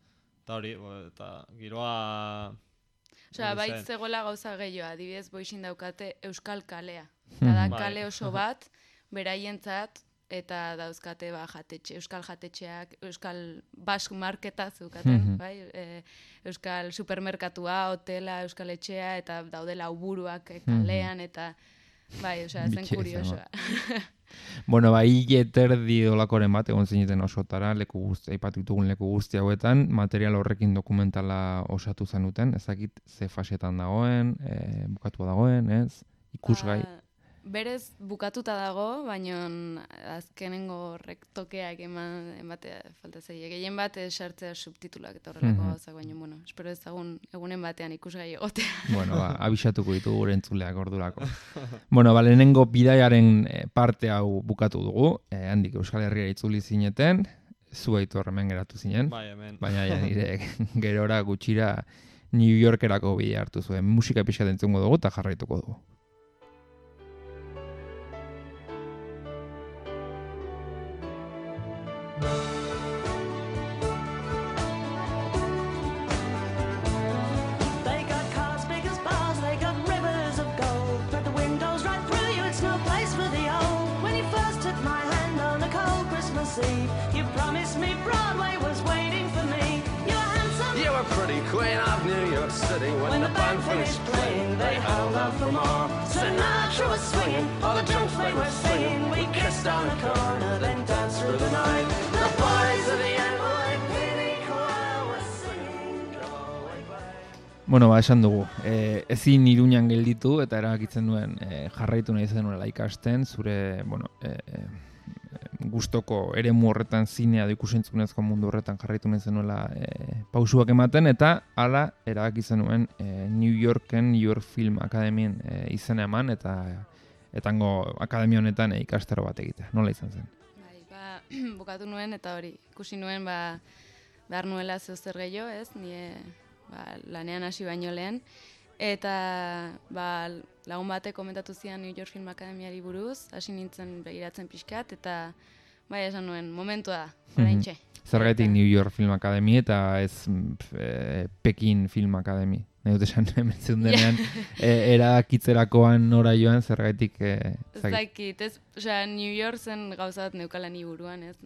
ta hori, bo, eta giroa... Osea, hori bai zen. zegoela gauza gehiago, adibidez boixin daukate Euskal Kalea. Eta da Bai. kale oso bat, beraientzat, eta dauzkate ba, jatetxe, Euskal jatetxeak, Euskal Basque Marketa zeukaten, Mhm. bai? E, Euskal supermerkatua, hotela, Euskal etxea, eta daudela uburuak e, kalean, eta bai, osea, zen Bitxia kuriosoa. Bueno, bai, eterdi dolakoren bat, egon zineten osotara, leku guzti, aipatu ditugun leku guzti hauetan, material horrekin dokumentala osatu zenuten, ezakit ze fasetan dagoen, e, bukatua dagoen, ez? Ikusgai. Ba, berez bukatuta dago, baina azkenengo horrek tokeak eman, ematea falta zaie. Gehien bat esartzea subtitulak eta horrelako Mhm. gauzak, baina, bueno, espero ezagun egunen batean ikusgai egotea. Bueno, ba, abisatuko ditugu gure entzuleak ordurako. Bueno, ba, lehenengo bidaiaren eh, parte hau bukatu dugu, eh, handik Euskal Herria itzuli zineten, zu Aitor hemen geratu zinen, Bai, hemen. baina ja, nire gerora gutxira New Yorkerako bidea hartu zuen. Musika pixka entzungo dugu eta jarraituko dugu. They got cars big as bars, they got rivers of gold. But the windows right through you, it's no place for the old. When you first took my hand on a cold Christmas Eve, you promised me Broadway was waiting for me. You were handsome. You were pretty queen of New York City. When, When the band finished playing, they held out for more. Sinatra was swinging, all the junk they were singing. We kissed on the corner, then danced through the night. The boys of the N Y P D choir were singing. Bueno, ba, esan dugu, e, ezin Iruñan gelditu eta erabakitzen duen e, jarraitu nahi zenuela ikasten, zure, bueno, e, e, gustoko eremu horretan zinea edo ikusentzunezko mundu horretan jarraitu nahi zenuela e, pausuak ematen, eta hala erabaki zenuen e, New Yorken New York Film Academyen e, izena eman, eta etango akademia honetan e, ikastaro bat egitea. Nola izan zen? Ba, bukatu nuen eta hori, ikusi nuen ba, behar nuela zeu zer gehiago, ez, nire ba, lanean hasi baino lehen, eta ba, lagun batek komentatu zian New York Film Akademiari buruz, hasi nintzen begiratzen pixkat, eta bai esan nuen, momentua da, oraintxe. Zergatik New York Film Academy eta ez e, Pekin Film Academy. Nahi dut esan hemen zeundenean, e, erakitzerakoan nora joan, zergatik... E, Zakit, ez, osea, New York zen gauza bat neukala ni buruan, ez,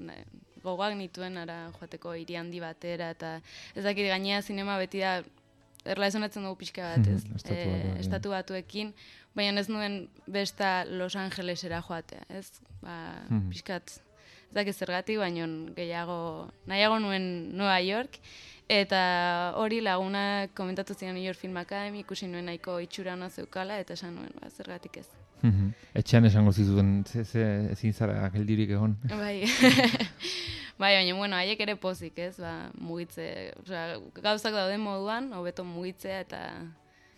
gogoak nituen ara joateko hiri handi batera, eta ez dakit gainea zinema beti da, erlaizonatzen dugu pixka bat, ez, Estatu e, batuekin. estatu batuekin, baina ez nuen besta Los Angelesera joatea, ez, ba, Mhm. pixkat, ez dakit zergatik, baina gehiago, nahiago nuen Nueva York, eta hori laguna komentatu zian New York Film Academy, ikusi nuen nahiko itxura ona zeukala, eta esan nuen, ba, zergatik ez. Mhm. Etxean esango zizuten, ze, ze, ezin zara geldirik egon. Bai, bai, baina, bueno, haiek ere pozik, ez, ba, mugitze, osea, gauzak dauden moduan, hobeto mugitzea, eta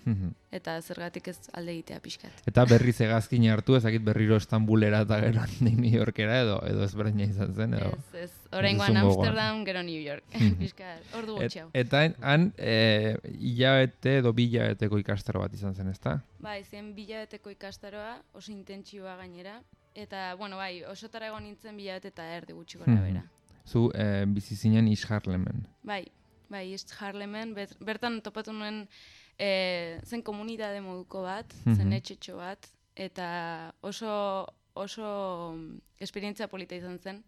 Mhm. eta zergatik ez alde egitea pixkat. Eta berriz hegazkina hartu, ezakit berriro Estambulera eta gero handik New Yorkera, edo, edo ezberdina izan zen, edo... Ez, ez, oraingoan Amsterdam, gero New York, pixkat, ordu Et, gutxi hau. eta han, e, hilabete edo bi hilabeteko ikastaro bat izan zen, ezta? Bai, zen bilabeteko ikastaroa, oso intentsioa gainera, eta, bueno, bai, osotara egon nintzen bilabete eta erdi gutxi gora bera. Zu e, bizi zinen East Harlemen. Bai, bai, East Harlemen, bet, bertan topatu nuen e, zen komunitate moduko bat, zen Mhm. etxetxo bat, eta oso, oso esperientzia polita izan zen.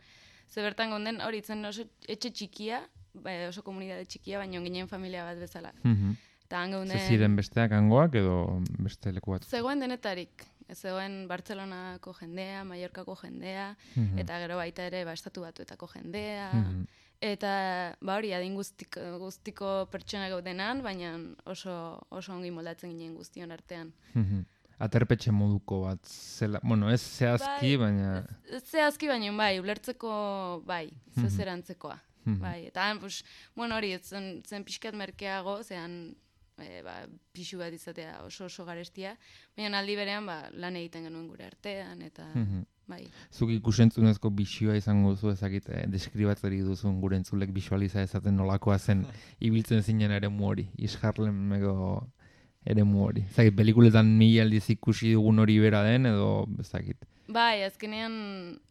Ze bertan gonden, hori zen oso etxe txikia, bai, oso komunitate txikia, baina ginen familia bat bezala. Mhm. Eta han Ze geunden... ziren besteak hangoak edo beste leku bat? Zegoen denetarik. Zegoen Bartzelonako jendea, Mallorcako jendea, Mhm. eta gero baita ere ba, estatu batuetako jendea. Mhm. Eta ba hori adin guztiko, guztiko pertsona gaudenan, baina oso, oso ongi moldatzen ginen guztion artean. Mhm. Aterpetxe moduko bat zela, bueno, ez zehazki, Bai, baina... Ez zehazki baina bai, ulertzeko bai, Mhm. zezerantzekoa. Mhm. Bai, eta han, pues, bueno, hori, zen, zen pixkat merkeago, zean e, ba, pixu bat izatea oso oso garestia, baina aldi berean ba, lan egiten genuen gure artean, eta Mhm. bai. Zuk ikusentzunezko bisioa izango duzu ezakit, eh, deskribatzeri duzun gure entzulek bisualiza ezaten nolakoa zen ibiltzen zinen eremu hori, East Harlemeko eremu hori. Ezakit, pelikuletan mila aldiz ikusi dugun hori bera den, edo ezakit. Bai, azkenean,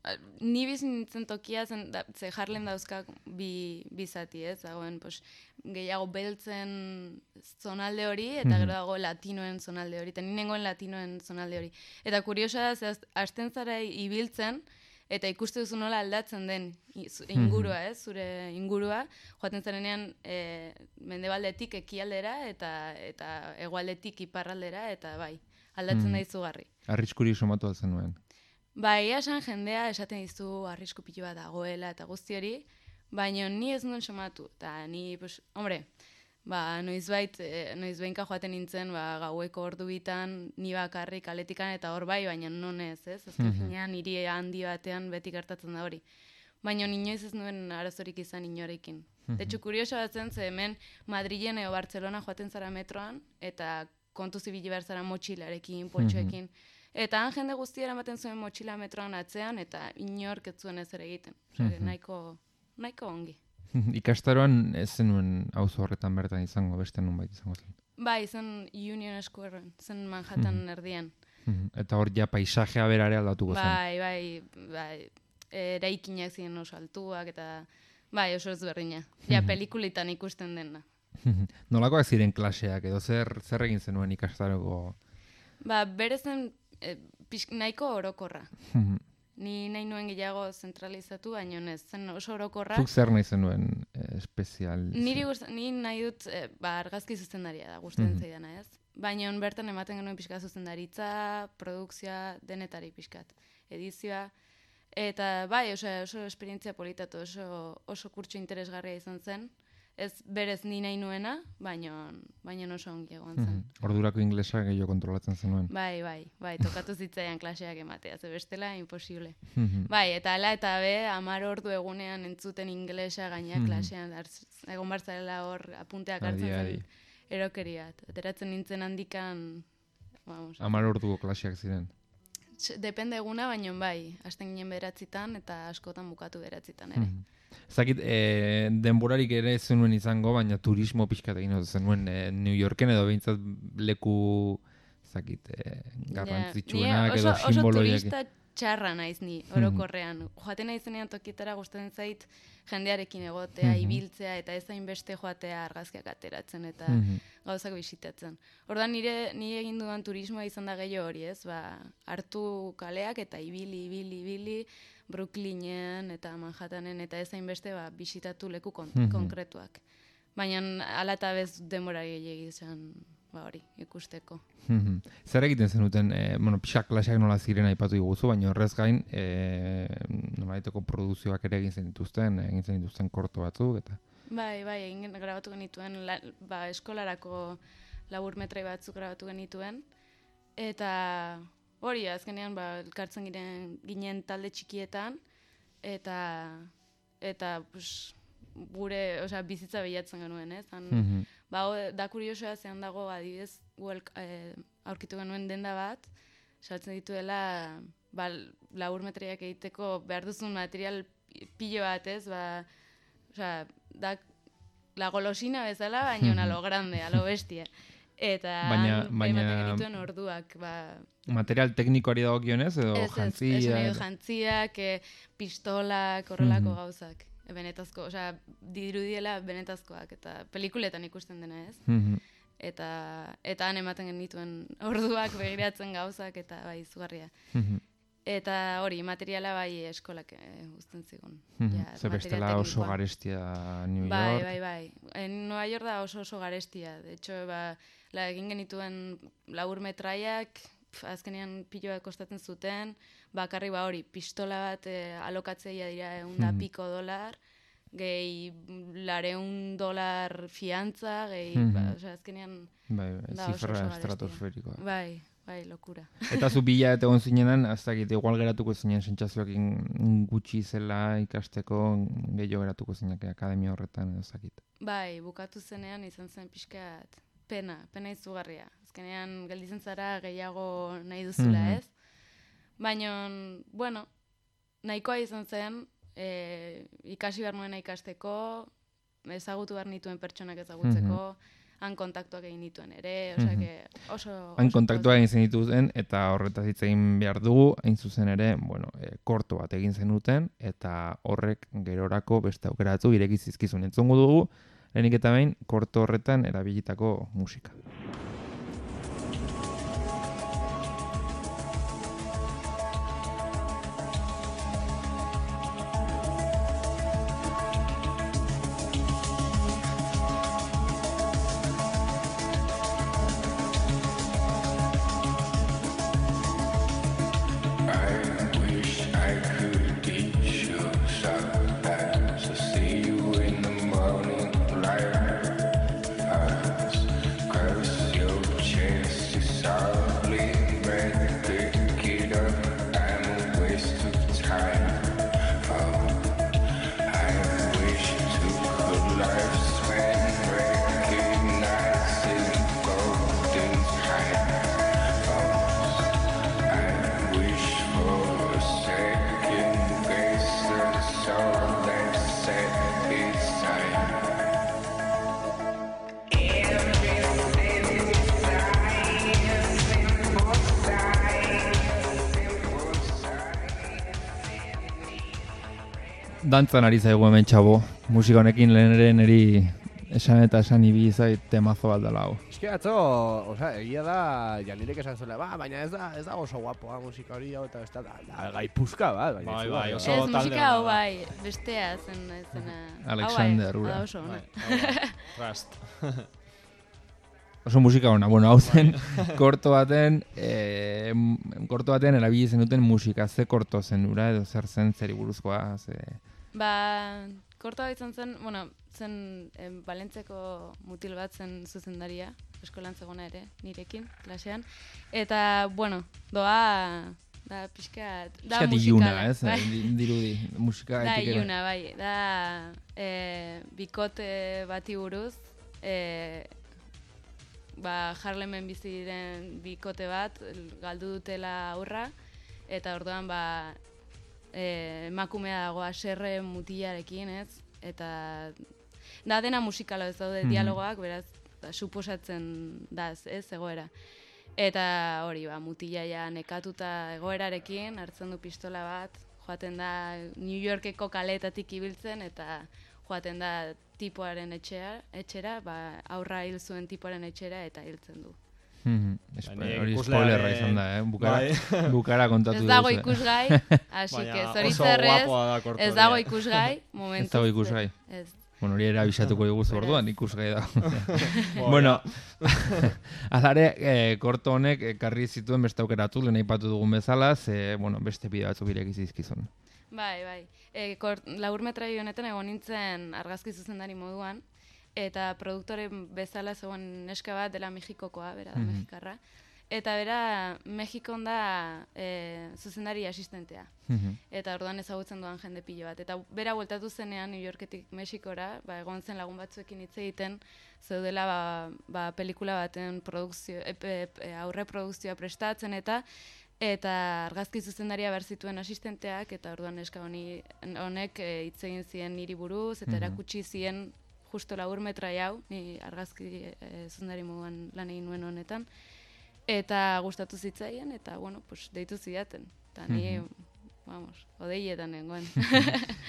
a, ni bizi nintzen tokia zen, da, ze Harlem dauzkak bi, bi zati, ez? Dagoen, pues, gehiago beltzen zonalde hori, eta Mhm. gero dago latinoen zonalde hori, eta ni nengoen latinoen zonalde hori. Eta kuriosa da, ze haz- hasten zara ibiltzen, eta ikuste duzu nola aldatzen den i- zu- ingurua, ez? Zure ingurua, joaten zarenean e, mendebaldetik ekialdera, eta, eta hegoaldetik iparraldera, eta bai, aldatzen Mhm. da izugarri. Arriskuri somatu altzen nuen. Bai, esan jendea esaten dizu arrisku pilo bat dagoela eta guzti hori, baina ni ez nuen somatu. Eta ni, pues, hombre, ba, noizbait, e, noizbeinka joaten nintzen, ba, gaueko ordu bitan, ni bakarrik kaletikan eta hor bai, baina non ez, ez? Azken Mhm. finean, hiri handi batean beti gertatzen da hori. Baina inoiz ez nuen arazorik izan inorekin. Mhm. De hecho, kurioso bat zen, ze hemen Madrilen edo Bartzelona joaten zara metroan, eta kontu zibili behar zara motxilarekin, poltsoekin. Eta han jende guztia eramaten zuen motxila metroan atzean, eta inork ez zuen ezer egiten. Osea, Mhm. nahiko, nahiko ongi. Ikastaroan ez zenuen auzo horretan bertan izango, beste nunbait izango zen. Bai, zen Union Squaren, zen Manhattan Mhm. erdian. Mhm. Eta hor ja paisajea berare aldatuko zen. Bai, bai, bai, eraikinak ziren oso altuak, eta bai, oso ezberdina. Ja, Mhm. pelikulitan ikusten dena. Nolakoak ziren klaseak, edo zer, zer egin zenuen ikastaroko? Ba, bere zen e, pix, nahiko orokorra. Mhm. Ni nahi nuen gehiago zentralizatu, baina ez, zen oso orokorra. Zuk zer nahi zenuen eh, espezial? Niri gust, ni nahi dut, e, ba, argazki zuzendaria da, gustatzen Mhm. zaidana, ez? Baina bertan ematen genuen pixka zuzendaritza, produkzioa, denetari pixkat, edizioa, eta bai, oso, oso esperientzia politatu, oso, oso kurtso interesgarria izan zen, ez berez ni nahi nuena, baina, baina oso ongi egon zen. Mhm. Ordurako inglesa gehiago kontrolatzen zenuen. Bai, bai, bai, tokatu zitzaian klaseak ematea, ze bestela imposible. Mhm. Bai, eta ala eta be, amar ordu egunean entzuten inglesa gaina Mhm. klasean, arz- egon barzela hor apunteak Adi, hartzen adi. zen erokeria. Ateratzen nintzen handikan, vamos. Hamar orduko klaseak ziren. Tx- Depende eguna, baina bai, hasten ginen beratzitan eta askotan bukatu beratzitan ere. Mhm. Zakit, e, denborarik ere ez zenuen izango, baina turismo pixkat egin ote zenuen e, New Yorken edo behintzat leku, zakit, e, garrantzitsuenak Ni edo oso, oso simboloiak. turista txarra naiz ni, Mhm. orokorrean. Joaten naizenean tokietara gustatzen zait jendearekin egotea, Mhm. ibiltzea eta ez hainbeste joatea argazkiak ateratzen eta Mhm. gauzak bisitatzen. Ordan nire ni egin dudan turismoa izan da gehiago hori, ez? Ba, hartu kaleak eta ibili, ibili, ibili, Brooklynen eta Manhattanen eta ez hainbeste ba, bisitatu leku kon Mhm. konkretuak. Baina hala eta bez denbora gehiegi izan ba hori, ikusteko. Mhm. Zer egiten zenuten, e, bueno, pixak klaseak nola ziren aipatu diguzu, baina horrez gain, e, nolaiteko produzioak ere egin zen dituzten, egin zen dituzten korto batzuk, eta... Bai, bai, egin grabatu genituen, la, ba, eskolarako labur metrai batzuk grabatu genituen, eta hori, azkenean, ba, elkartzen giren, ginen talde txikietan, eta, eta, pues, gure, osea, bizitza behiatzen genuen, ez? Han, Mhm. ba, ho- da kuriosoa zean dago, adibidez, guel, eh, aurkitu genuen denda bat, saltzen dituela, ba, labur metraiak egiteko behar duzun material pilo bat, ez? Ba, osea, da la golosina bezala, baina Mhm. a lo grande, a lo bestia. Eta Baina- han baina- ematen genituen orduak, ba... Material teknikoari dagokionez edo Ez, ez, jantzia? esan nahi dut jantziak, eh, pistolak, horrelako Mhm. gauzak. E, benetazko, osea, dirudiela benetazkoak, eta pelikuletan ikusten dena, ez? Mhm. Eta, eta han ematen genituen orduak begiratzen gauzak, eta bai, izugarria. Mhm. Eta hori, materiala bai eskolak eh, uzten zigun. Mhm. Ja, Ze material bestela oso teknikoa. garestia New York. Bai, bai, bai. En Nueva York da oso oso garestia. De hecho, ba, la egin genituen labur metraiak, pf, azkenean piloa kostatzen zuten, bakarri ba hori, pistola bat eh, alokatzeia dira egun da Mhm. piko dolar, gehi lareun dolar fiantza, gehi, Mhm. ba, osea, azkenean Bai, bai, da oso zifra oso garestia. estratosferikoa. Bai, bai, lokura. Eta zu bila eta egon zinenan, ez dakit, igual geratuko zinen sentsazioekin gutxi zela ikasteko, gehiago geratuko zinak akademia horretan, edo ez dakit. Bai, bukatu zenean izan zen pixkat pena, pena izugarria. Azkenean gelditzen zara gehiago nahi duzula, Mhm. ez? Baina, bueno, nahikoa izan zen, e, ikasi behar nuena ikasteko, ezagutu behar nituen pertsonak ezagutzeko, han kontaktuak egin nituen ere, osea, Mhm. que oso... Han oso kontaktua egin zenituzten, eta horretaz hitz egin behar dugu, hain zuzen ere, bueno, e, korto bat egin zenuten, eta horrek gerorako beste aukera batzuk ireki zizkizun. Entzungo dugu, lehenik eta behin, korto horretan erabilitako musika. I dantzan ari zaigu hemen txabo. Musika honekin lehen ere niri esan eta esan ibi zait temazo bat dela hau. Eske atzo, osea, egia da, Janirek esan zuela, ba, baina ez da, ez da oso guapoa musika hori hau, eta ez da, da gai puska bat, baina bai, ez bai, da. oso Ez musika hau bai, bestea zen zena. Alexander, hau bai, ura. da oso ona. Rust. Oso musika ona, bueno, hau zen korto baten, eh, korto baten erabili zenuten musika, ze korto zen ura, edo zer zen zeri buruzkoa, ze... Ba, korto hau izan zen, bueno, zen eh, Balentzeko mutil bat zen zuzendaria, eskolan zegona ere, nirekin, klasean. Eta, bueno, doa, da pixka, da Pixka musikala. iluna, ez? Bai. Di- Dirudi, musika Da etikera. iluna, bai, da eh, bikote bati buruz, eh, ba, Harlemen bizi diren bikote bat, galdu dutela aurra, eta orduan, ba, eh, emakumea dago haserre mutilarekin, ez? Eta da dena musikala ez daude Mhm. dialogoak, beraz, da, suposatzen da, ez, egoera. Eta hori, ba, mutilaia nekatuta egoerarekin, hartzen du pistola bat, joaten da New Yorkeko kaleetatik ibiltzen, eta joaten da tipoaren etxera, etxera, ba, aurra hil zuen tipoaren etxera, eta hiltzen du. Mhm. Espo- Baina Hori ikuslearen- spoilerra izan da, eh? Bukara, Bai. bukara kontatu Ez dago duzu, eh? ikusgai, así Baina que oso zoritzarrez, guapoa da korto ez hori, dago eh. ikusgai, momentuz. Ez dago ikusgai. Ez. Bueno, hori ere abisatuko diguzu orduan, ikusgai da. Boia. Bueno, alare, eh, korto honek ekarri zituen beste aukeratu, lehen aipatu dugun bezala, ze, bueno, beste bideo batzuk ireki zizkizun. Bai, bai. E, laburmetraio honetan egon nintzen argazki zuzendari moduan, eta produktore bezala zegoen neska bat dela Mexikokoa, bera da Mhm. mexikarra. Eta bera Mexikon da e, zuzendari asistentea. Mhm. Eta orduan ezagutzen duan jende pilo bat. Eta bera bueltatu zenean New Yorketik Mexikora, ba, egon zen lagun batzuekin hitz egiten, zeudela ba, ba, pelikula baten produkzio, e, e, e, aurre produkzioa prestatzen eta eta argazki zuzendaria behar zituen asistenteak, eta orduan neska honi honek e, hitz egin zien niri buruz, eta Mhm. erakutsi zien justo laburmetrai hau, ni argazki e, zuzendari moduan lan egin nuen honetan, eta gustatu zitzaien, eta bueno, pues, deitu zidaten. Eta ni, Mhm. vamos, odeietan nengoen.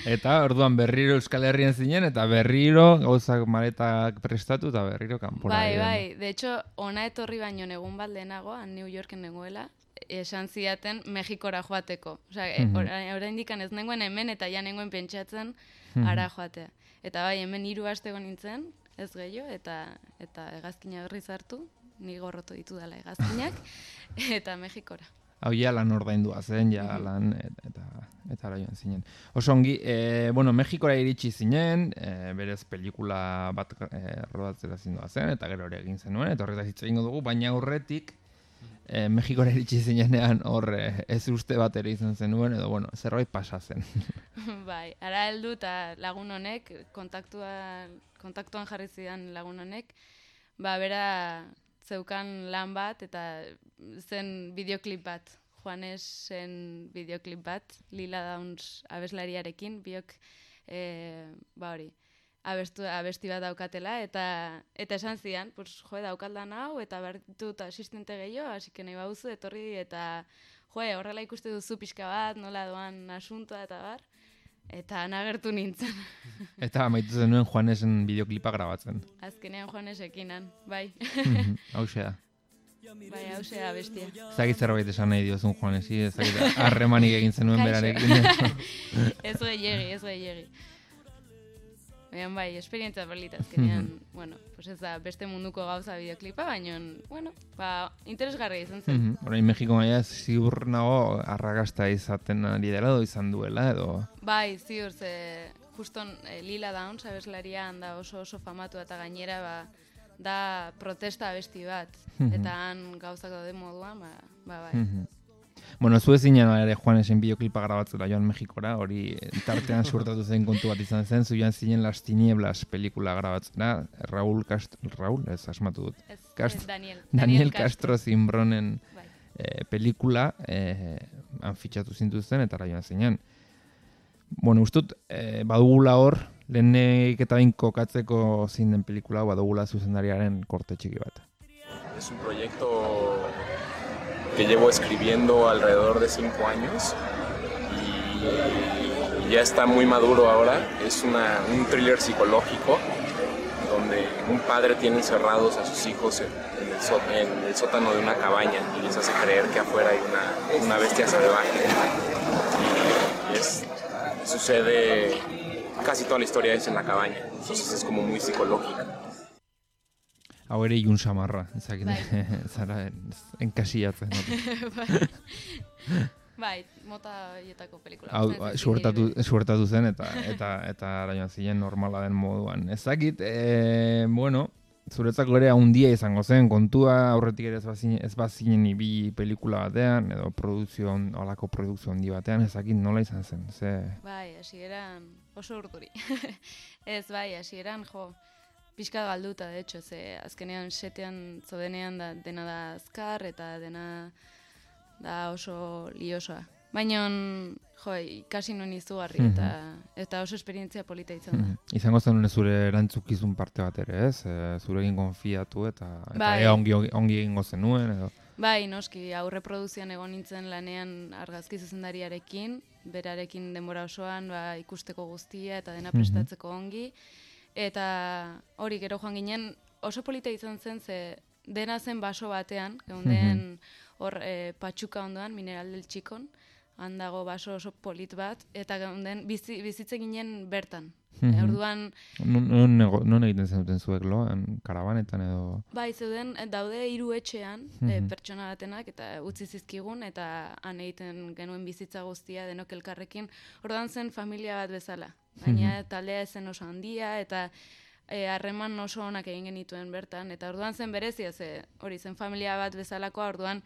Eta orduan berriro Euskal Herrian zinen, eta berriro gauzak maletak prestatu, eta berriro kanpora. Bai, ere. bai, de hecho, ona etorri baino egun bat lehenago, han New Yorken nengoela, esan zidaten Mexikora joateko. Osea, e, Mhm. ora- oraindikan ez nengoen hemen, eta ja nengoen pentsatzen Mhm. ara joatea. Eta bai, hemen hiru aste egon nintzen, ez gehiago, eta eta hegazkina berriz hartu, ni gorroto ditu dela hegazkinak, eta Mexikora. Hau ja lan ordaindua zen, ja lan, et- eta eta ara joan zinen. Oso ongi, e, bueno, Mexikora iritsi zinen, e, berez pelikula bat e, rodatzera zindua zen, eta gero hori egin zenuen, eta horretaz hitz egingo dugu, baina aurretik, e, Mexikora iritsi zinenean hor e, ez uste bat ere izan zenuen, edo bueno, zerbait pasa zen. Bai, ara heldu eta lagun honek, kontaktua, kontaktuan jarri zidan lagun honek, ba, bera zeukan lan bat, eta zen videoklip bat, Juanesen videoklip bat, Lila Downs abeslariarekin, biok, e, ba hori, abestu, abesti bat daukatela, eta eta esan zidan, pues, jo, daukat lan hau, eta behar ditut asistente gehiago, hasi que nahi bauzu, etorri, eta jo, horrela ikuste duzu pixka bat, nola doan asuntoa, eta bar, eta nagertu nintzen. Eta amaitu zenuen Juanesen bideoklipa grabatzen. Azkenean Juanesekinan, bai. Mhm, Hauxe da. Bai, hause da bestia. Zagit zerbait esan nahi diozun Juanesi, ezagit harremanik egin zenuen Kaixo. berarekin. Ez gehiegi, ez gehiegi. Baina bai, esperientzia berlita azkenean, bueno, pues ez da beste munduko gauza bideoklipa, baina, bueno, ba, interesgarria izan zen. Mhm, Orain Mexiko maia ziur nago arrakasta izaten ari dela edo izan duela edo... Bai, ziur, ze juston eh, Lila Downs abeslaria da oso oso famatu eta gainera ba, da protesta abesti bat, Mhm. eta han gauzak daude moduan, ba, ba bai. Mhm. Bueno, zu ezinen ere Juanesen bideoklipa grabatzera joan Mexikora, hori tartean suertatu zen kontu bat izan zen, zu joan zinen Las Tinieblas pelikula grabatzera, Raúl Castro, Raúl, ez asmatu dut. Ez, Cast- ez, Daniel. Daniel Daniel Castro Castro. Zimbronen Bai. eh, pelikula, eh, han fitxatu zintuzten eta ara joan zinen. Bueno, ustut, eh, badugula hor, lehenik eta bain kokatzeko zein den pelikula, badugula zuzendariaren korte txiki bat. Es un proyecto que llevo escribiendo alrededor de cinco años y, ya está muy maduro ahora. Es una, un thriller psicológico donde un padre tiene encerrados a sus hijos en, en, el, só, en el sótano de una cabaña y les hace creer que afuera hay una, una bestia salvaje. Y es, sucede, casi toda la historia es en la cabaña, entonces es como muy psicológica. Hau ere ilun samarra, ezakit, zara enkasiatzen. Bai, mota horietako pelikula. Hau, suertatu, suertatu zen eta eta eta arañoan ziren normala den moduan. Ezakit, e, bueno, zuretzako ere handia izango zen, kontua aurretik ere ez bazinen, ez bazinen bi pelikula batean, edo produkzio, holako produkzio handi batean, ezakit nola izan zen, ze... Bai, hasieran oso urduri. Ez, bai, hasieran, jo, pixka galduta, de hecho, ze azkenean setean zodenean da, dena da azkar eta dena da oso liosoa. Baina, jo, ikasi nuen izugarri eta, eta oso esperientzia polita izan da. Izango zen zure erantzukizun parte bat ere, ez? E, zurekin konfiatu eta, eta bai. ea ongi, ongi egingo zenuen, edo? Bai, noski, aurre produzioan egon nintzen lanean argazki zuzendariarekin, berarekin denbora osoan ba, ikusteko guztia eta dena prestatzeko ongi. Eta hori gero joan ginen oso polita izan zen, ze dena zen baso batean, geunden hor e, patxuka ondoan, Mineral del Txikon, handago baso oso polit bat, eta geunden bizi, bizitze ginen bertan. Mm-hmm. E, orduan... Non, non, non egiten zenuten zuek lo, karabanetan edo... Bai, zeuden daude hiru etxean mm-hmm. e, pertsona batenak, eta utzi zizkigun, eta han egiten genuen bizitza guztia denok elkarrekin. Orduan zen familia bat bezala. Baina mm-hmm. taldea zen oso handia, eta harreman e, oso onak egin genituen bertan. Eta orduan zen berezia, ze hori zen familia bat bezalakoa, orduan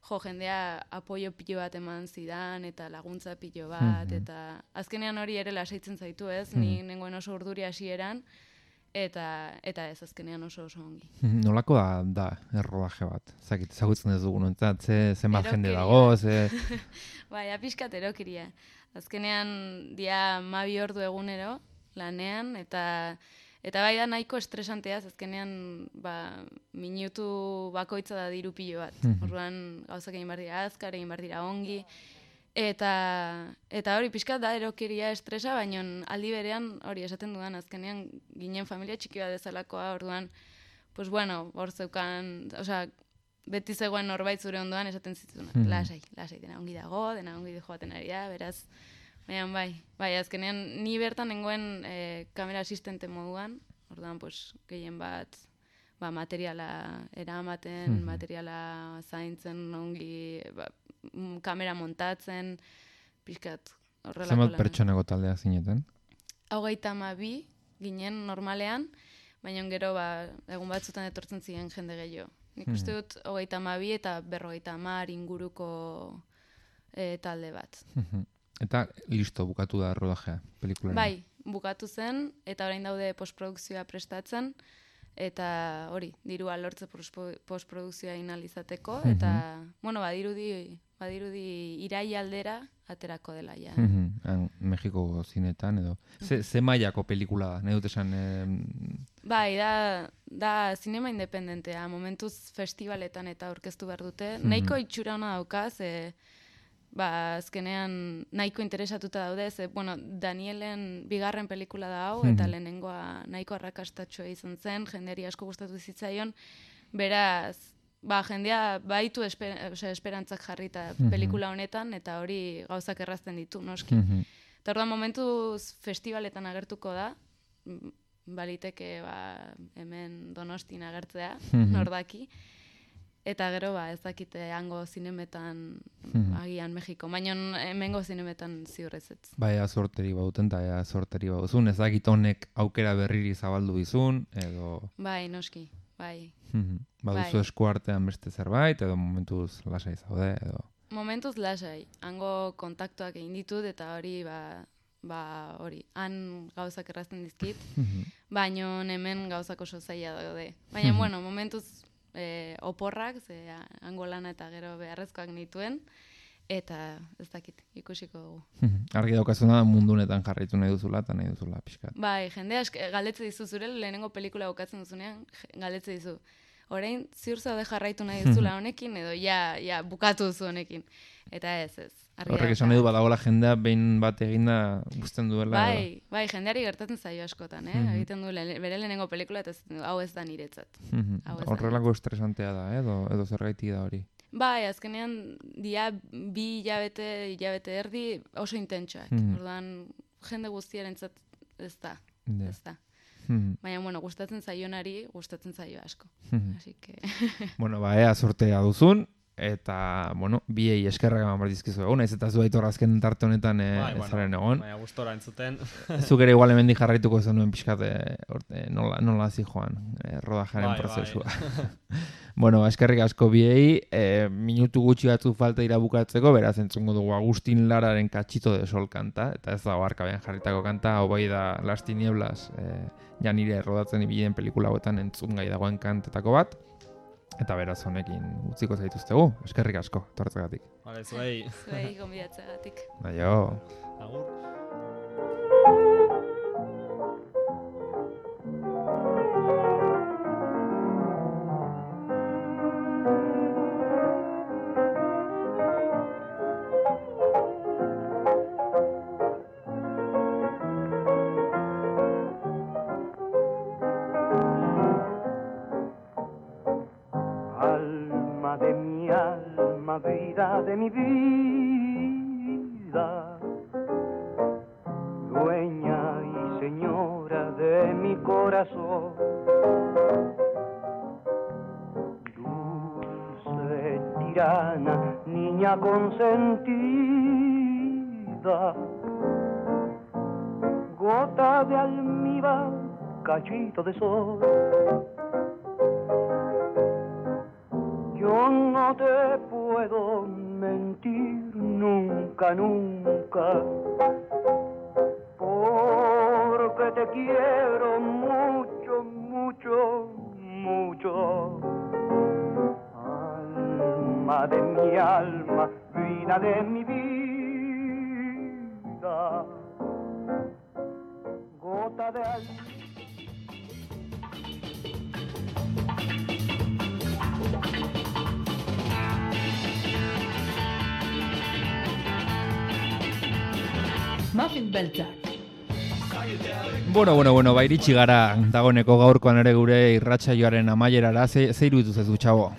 jo, jendea apoio pilo bat eman zidan, eta laguntza pilo bat, mm-hmm. eta azkenean hori ere lasaitzen zaitu ez, mm-hmm. ni nengoen oso urduri hasieran, eta eta ez azkenean oso oso ongi. Nolako da, da errodaje bat? Zakit, zagutzen ez dugun, entzat, ze, zenbat jende dago, ze... Bai, apiskat erokiria. Azkenean dia mabi ordu egunero lanean, eta eta bai da nahiko estresanteaz, azkenean ba, minutu bakoitza da diru pilo bat. Mm-hmm. Orduan gauzak egin behar dira azkar, egin behar dira ongi, eta eta hori pixkat da erokeria estresa, baina aldi berean hori esaten dudan, azkenean ginen familia txiki bat dezalakoa, orduan, pues bueno, hor zeukan, osea, beti zegoen norbait zure ondoan esaten zituen, mm-hmm. lasai, lasai, dena ongi dago, dena ongi joaten ari da, beraz, baina bai, bai, azkenean ni bertan nengoen e, kamera asistente moduan, orduan, pues, gehien bat, ba, materiala eramaten, mm-hmm. materiala zaintzen, ongi, ba, kamera montatzen, pixkat horrelako lan. Zenbat pertsonako taldea zineten? Hogeita hamabi ginen normalean, baina gero ba, egun batzutan etortzen ziren jende gehiago. Nik uste dut hogeita hamabi eta berrogeita hamar inguruko e, talde bat. Eta listo, bukatu da rodajea, pelikularen. Bai, bukatu zen, eta orain daude postprodukzioa prestatzen, eta hori, dirua lortze postprodukzioa inalizateko, eta, mm-hmm. bueno, badirudi, badirudi irai aldera aterako dela, ja. Mm-hmm. Mexiko zinetan, edo. Ze, ze mailako pelikula da, nahi dut esan... Eh... Bai, da, da zinema independentea, momentuz festivaletan eta aurkeztu behar dute. Mm-hmm. Nahiko itxura hona daukaz, e, ba, azkenean nahiko interesatuta daude, ze, bueno, Danielen bigarren pelikula da hau, eta mm-hmm. lehenengoa nahiko arrakastatxoa izan zen, jendeari asko gustatu zitzaion, beraz, ba, jendea baitu esper, osea, esperantzak jarrita mm-hmm. pelikula honetan, eta hori gauzak errazten ditu, noski. Mm-hmm. Eta orduan momentuz festivaletan agertuko da, baliteke ba, hemen Donostin agertzea, mm-hmm. nordaki, eta gero ba, ez dakite hango zinemetan mm-hmm. agian Mexiko, baina hemengo zinemetan ziurrezetz. Bai, azorteri bauten eta ea azorteri bauzun, ez dakit honek aukera berriri zabaldu bizun, edo... Bai, noski, bai. Mm-hmm. Baduzu bai. Eskuartean beste zerbait, edo momentuz lasai zaude, edo... Momentuz lasai, hango kontaktuak egin ditut, eta hori, ba, ba hori, han gauzak errazten dizkit, mm-hmm. baina hemen gauzak oso zaila daude. Baina, mm-hmm. bueno, momentuz e, oporrak, ze hango lana eta gero beharrezkoak nituen, eta ez dakit, ikusiko dugu. Argi daukazuna mundu honetan jarraitu nahi duzula eta nahi duzula pixkat. Bai, jende ask, galdetze dizu zure lehenengo pelikula bukatzen duzunean, galdetze dizu. orain ziur zaude jarraitu nahi duzula honekin, edo ja, ja bukatu duzu honekin. Eta ez, ez. Horrek esan edu badagoela jendea behin bat eginda guzten duela. Bai, bai, jendeari gertatzen zaio askotan, eh? Mm-hmm. Egiten du le, bere lehenengo pelikula eta hau ez da niretzat. Mm-hmm. Horrelako estresantea da, eh? edo, edo zergaitik da hori. Bai, azkenean dia bi hilabete, hilabete erdi oso intentsuak. Mm-hmm. Orduan, jende guztiarentzat ez da, yeah. ez da. Mm-hmm. Baina, bueno, gustatzen zaionari, gustatzen zaio asko. Mm-hmm. Así que... bueno, ba, ea sortea duzun. Eta, bueno, biei eskerrak eman bardizkizu egon, ez eta zu aitor azken tarte honetan e, bai, ezaren bueno, egon. Baina gustora entzuten. Zuk ere igual hemendik jarraituko zenuen pixkat e, nola, nola hazi joan, e, rodajaren bai, prozesua. Bai. Bueno, eskerrik asko biei, e, minutu gutxi batzuk falta irabukatzeko, beraz entzungo dugu Agustin Lararen Cachito de Sol kanta, eta ez dago arkabean jarritako kanta, hau bai da Las Tinieblas, e, ja nire rodatzen ibilen pelikula hauetan entzun gai dagoen kantetako bat. Eta beraz honekin utziko zaituztegu, eskerrik asko, torretzagatik. Vale, zuei. Zuei, gonbidatzagatik. Aio. Agur. Vida de mi vida, dueña y señora de mi corazón, dulce tirana, niña consentida, gota de almíbar, cachito de sol. Yo no te puedo mentir nunca, nunca, porque te quiero mucho, mucho, mucho. Alma de mi alma, vida de mi vida, gota de alma. Muffin beltzak. Bueno, bueno, bueno, ba, iritsi gara dagoeneko gaurkoan ere gure irratsaioaren amaierara, ze, ze iruditu zezu, txabo?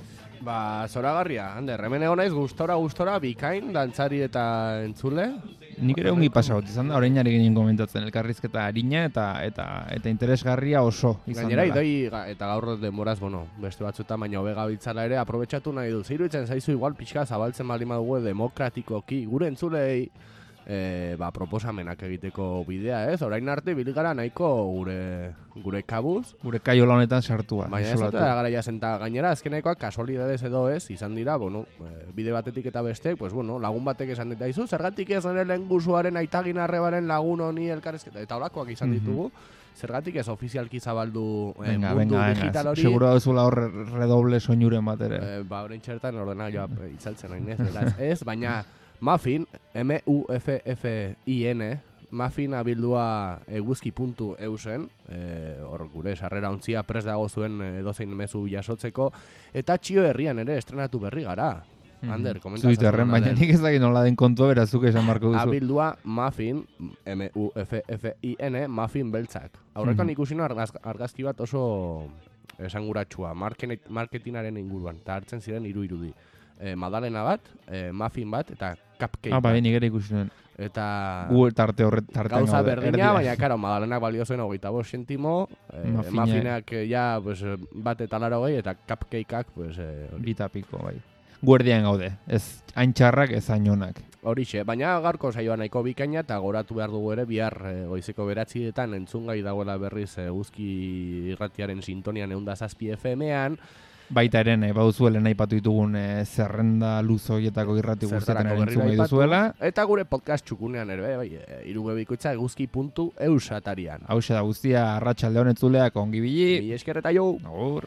Ba, zoragarria, Ander, hemen egon naiz gustora, gustora, bikain, dantzari eta entzule. Nik ere ongi pasagot izan da, orain ari ginen komentatzen, elkarrizketa harina eta eta eta interesgarria oso izan da. Gainera, idoi, eta gaur denboraz, bueno, beste batzuetan, baina hobe gabiltzala ere, aprobetxatu nahi dut. Zeiruditzen zaizu igual pixka zabaltzen baldin badugu demokratikoki, gure entzulei, E, ba, proposamenak egiteko bidea, ez? Orain arte biligara nahiko gure gure kabuz. Gure kaiola honetan sartua. Baina ez da garaia zenta gainera, azkenekoak kasualidadez edo ez, izan dira, bueno, bide batetik eta bestek, pues, bueno, lagun batek esan dit daizu, zergatik ez nire lengusuaren aitagin arrebaren lagun honi elkarrezketa, eta olakoak izan ditugu, zergatik ez ofizialki zabaldu eh, venga, mundu venga, digital hori. Seguro dauzula hor redoble soinuren bat ere. Eh, ba, orain txertan ordena joa itzaltzen hain ez, beraz, ez, baina Muffin, M U F F I N, Muffin abildua eguzki puntu eusen, hor e, gure sarrera ontzia prest dago zuen edozein mezu jasotzeko, eta Txio Herrian ere estrenatu berri gara. Ander, komentazio. Zuiterren, baina nik ez dakit nola den kontua berazuk esan marko duzu. Abildua Muffin, M U F F I N, Muffin beltzak. Aurrekan mm-hmm. ikusi argaz, argazki bat oso esanguratsua, marketingaren inguruan, eta hartzen ziren hiru irudi. E, Madalena bat, e, muffin bat, eta cupcake ah, bat. Ah, bai, nigera ikusi nuen. Eta... Gu tarte horret, tarte gauza berdina, baina, karo, Madalenak balio zuen hogeita bost sentimo, e, muffinak ja, pues, bat eta laro gehi, eta cupcakeak, pues... E, Bita piko, bai. Guardian gaude, ez hain txarrak, ez hain onak. Horixe, baina gaurko saioa nahiko bikaina, eta goratu behar dugu ere, bihar e, goizeko beratzietan entzungai dagoela berriz eguzki irratiaren sintonian eunda zazpi F M-an, baita ere, nahi baduzuela nahi patu ditugun e, zerrenda luzo horietako irrati guztietan ere entzun gai duzuela. Eta gure podcast txukunean ere, bai, e, irugabikoitza eguzki puntu eus atarian. Hau da guztia, arratsalde honetzuleak ongi bili. Bi esker eta jo. Agur.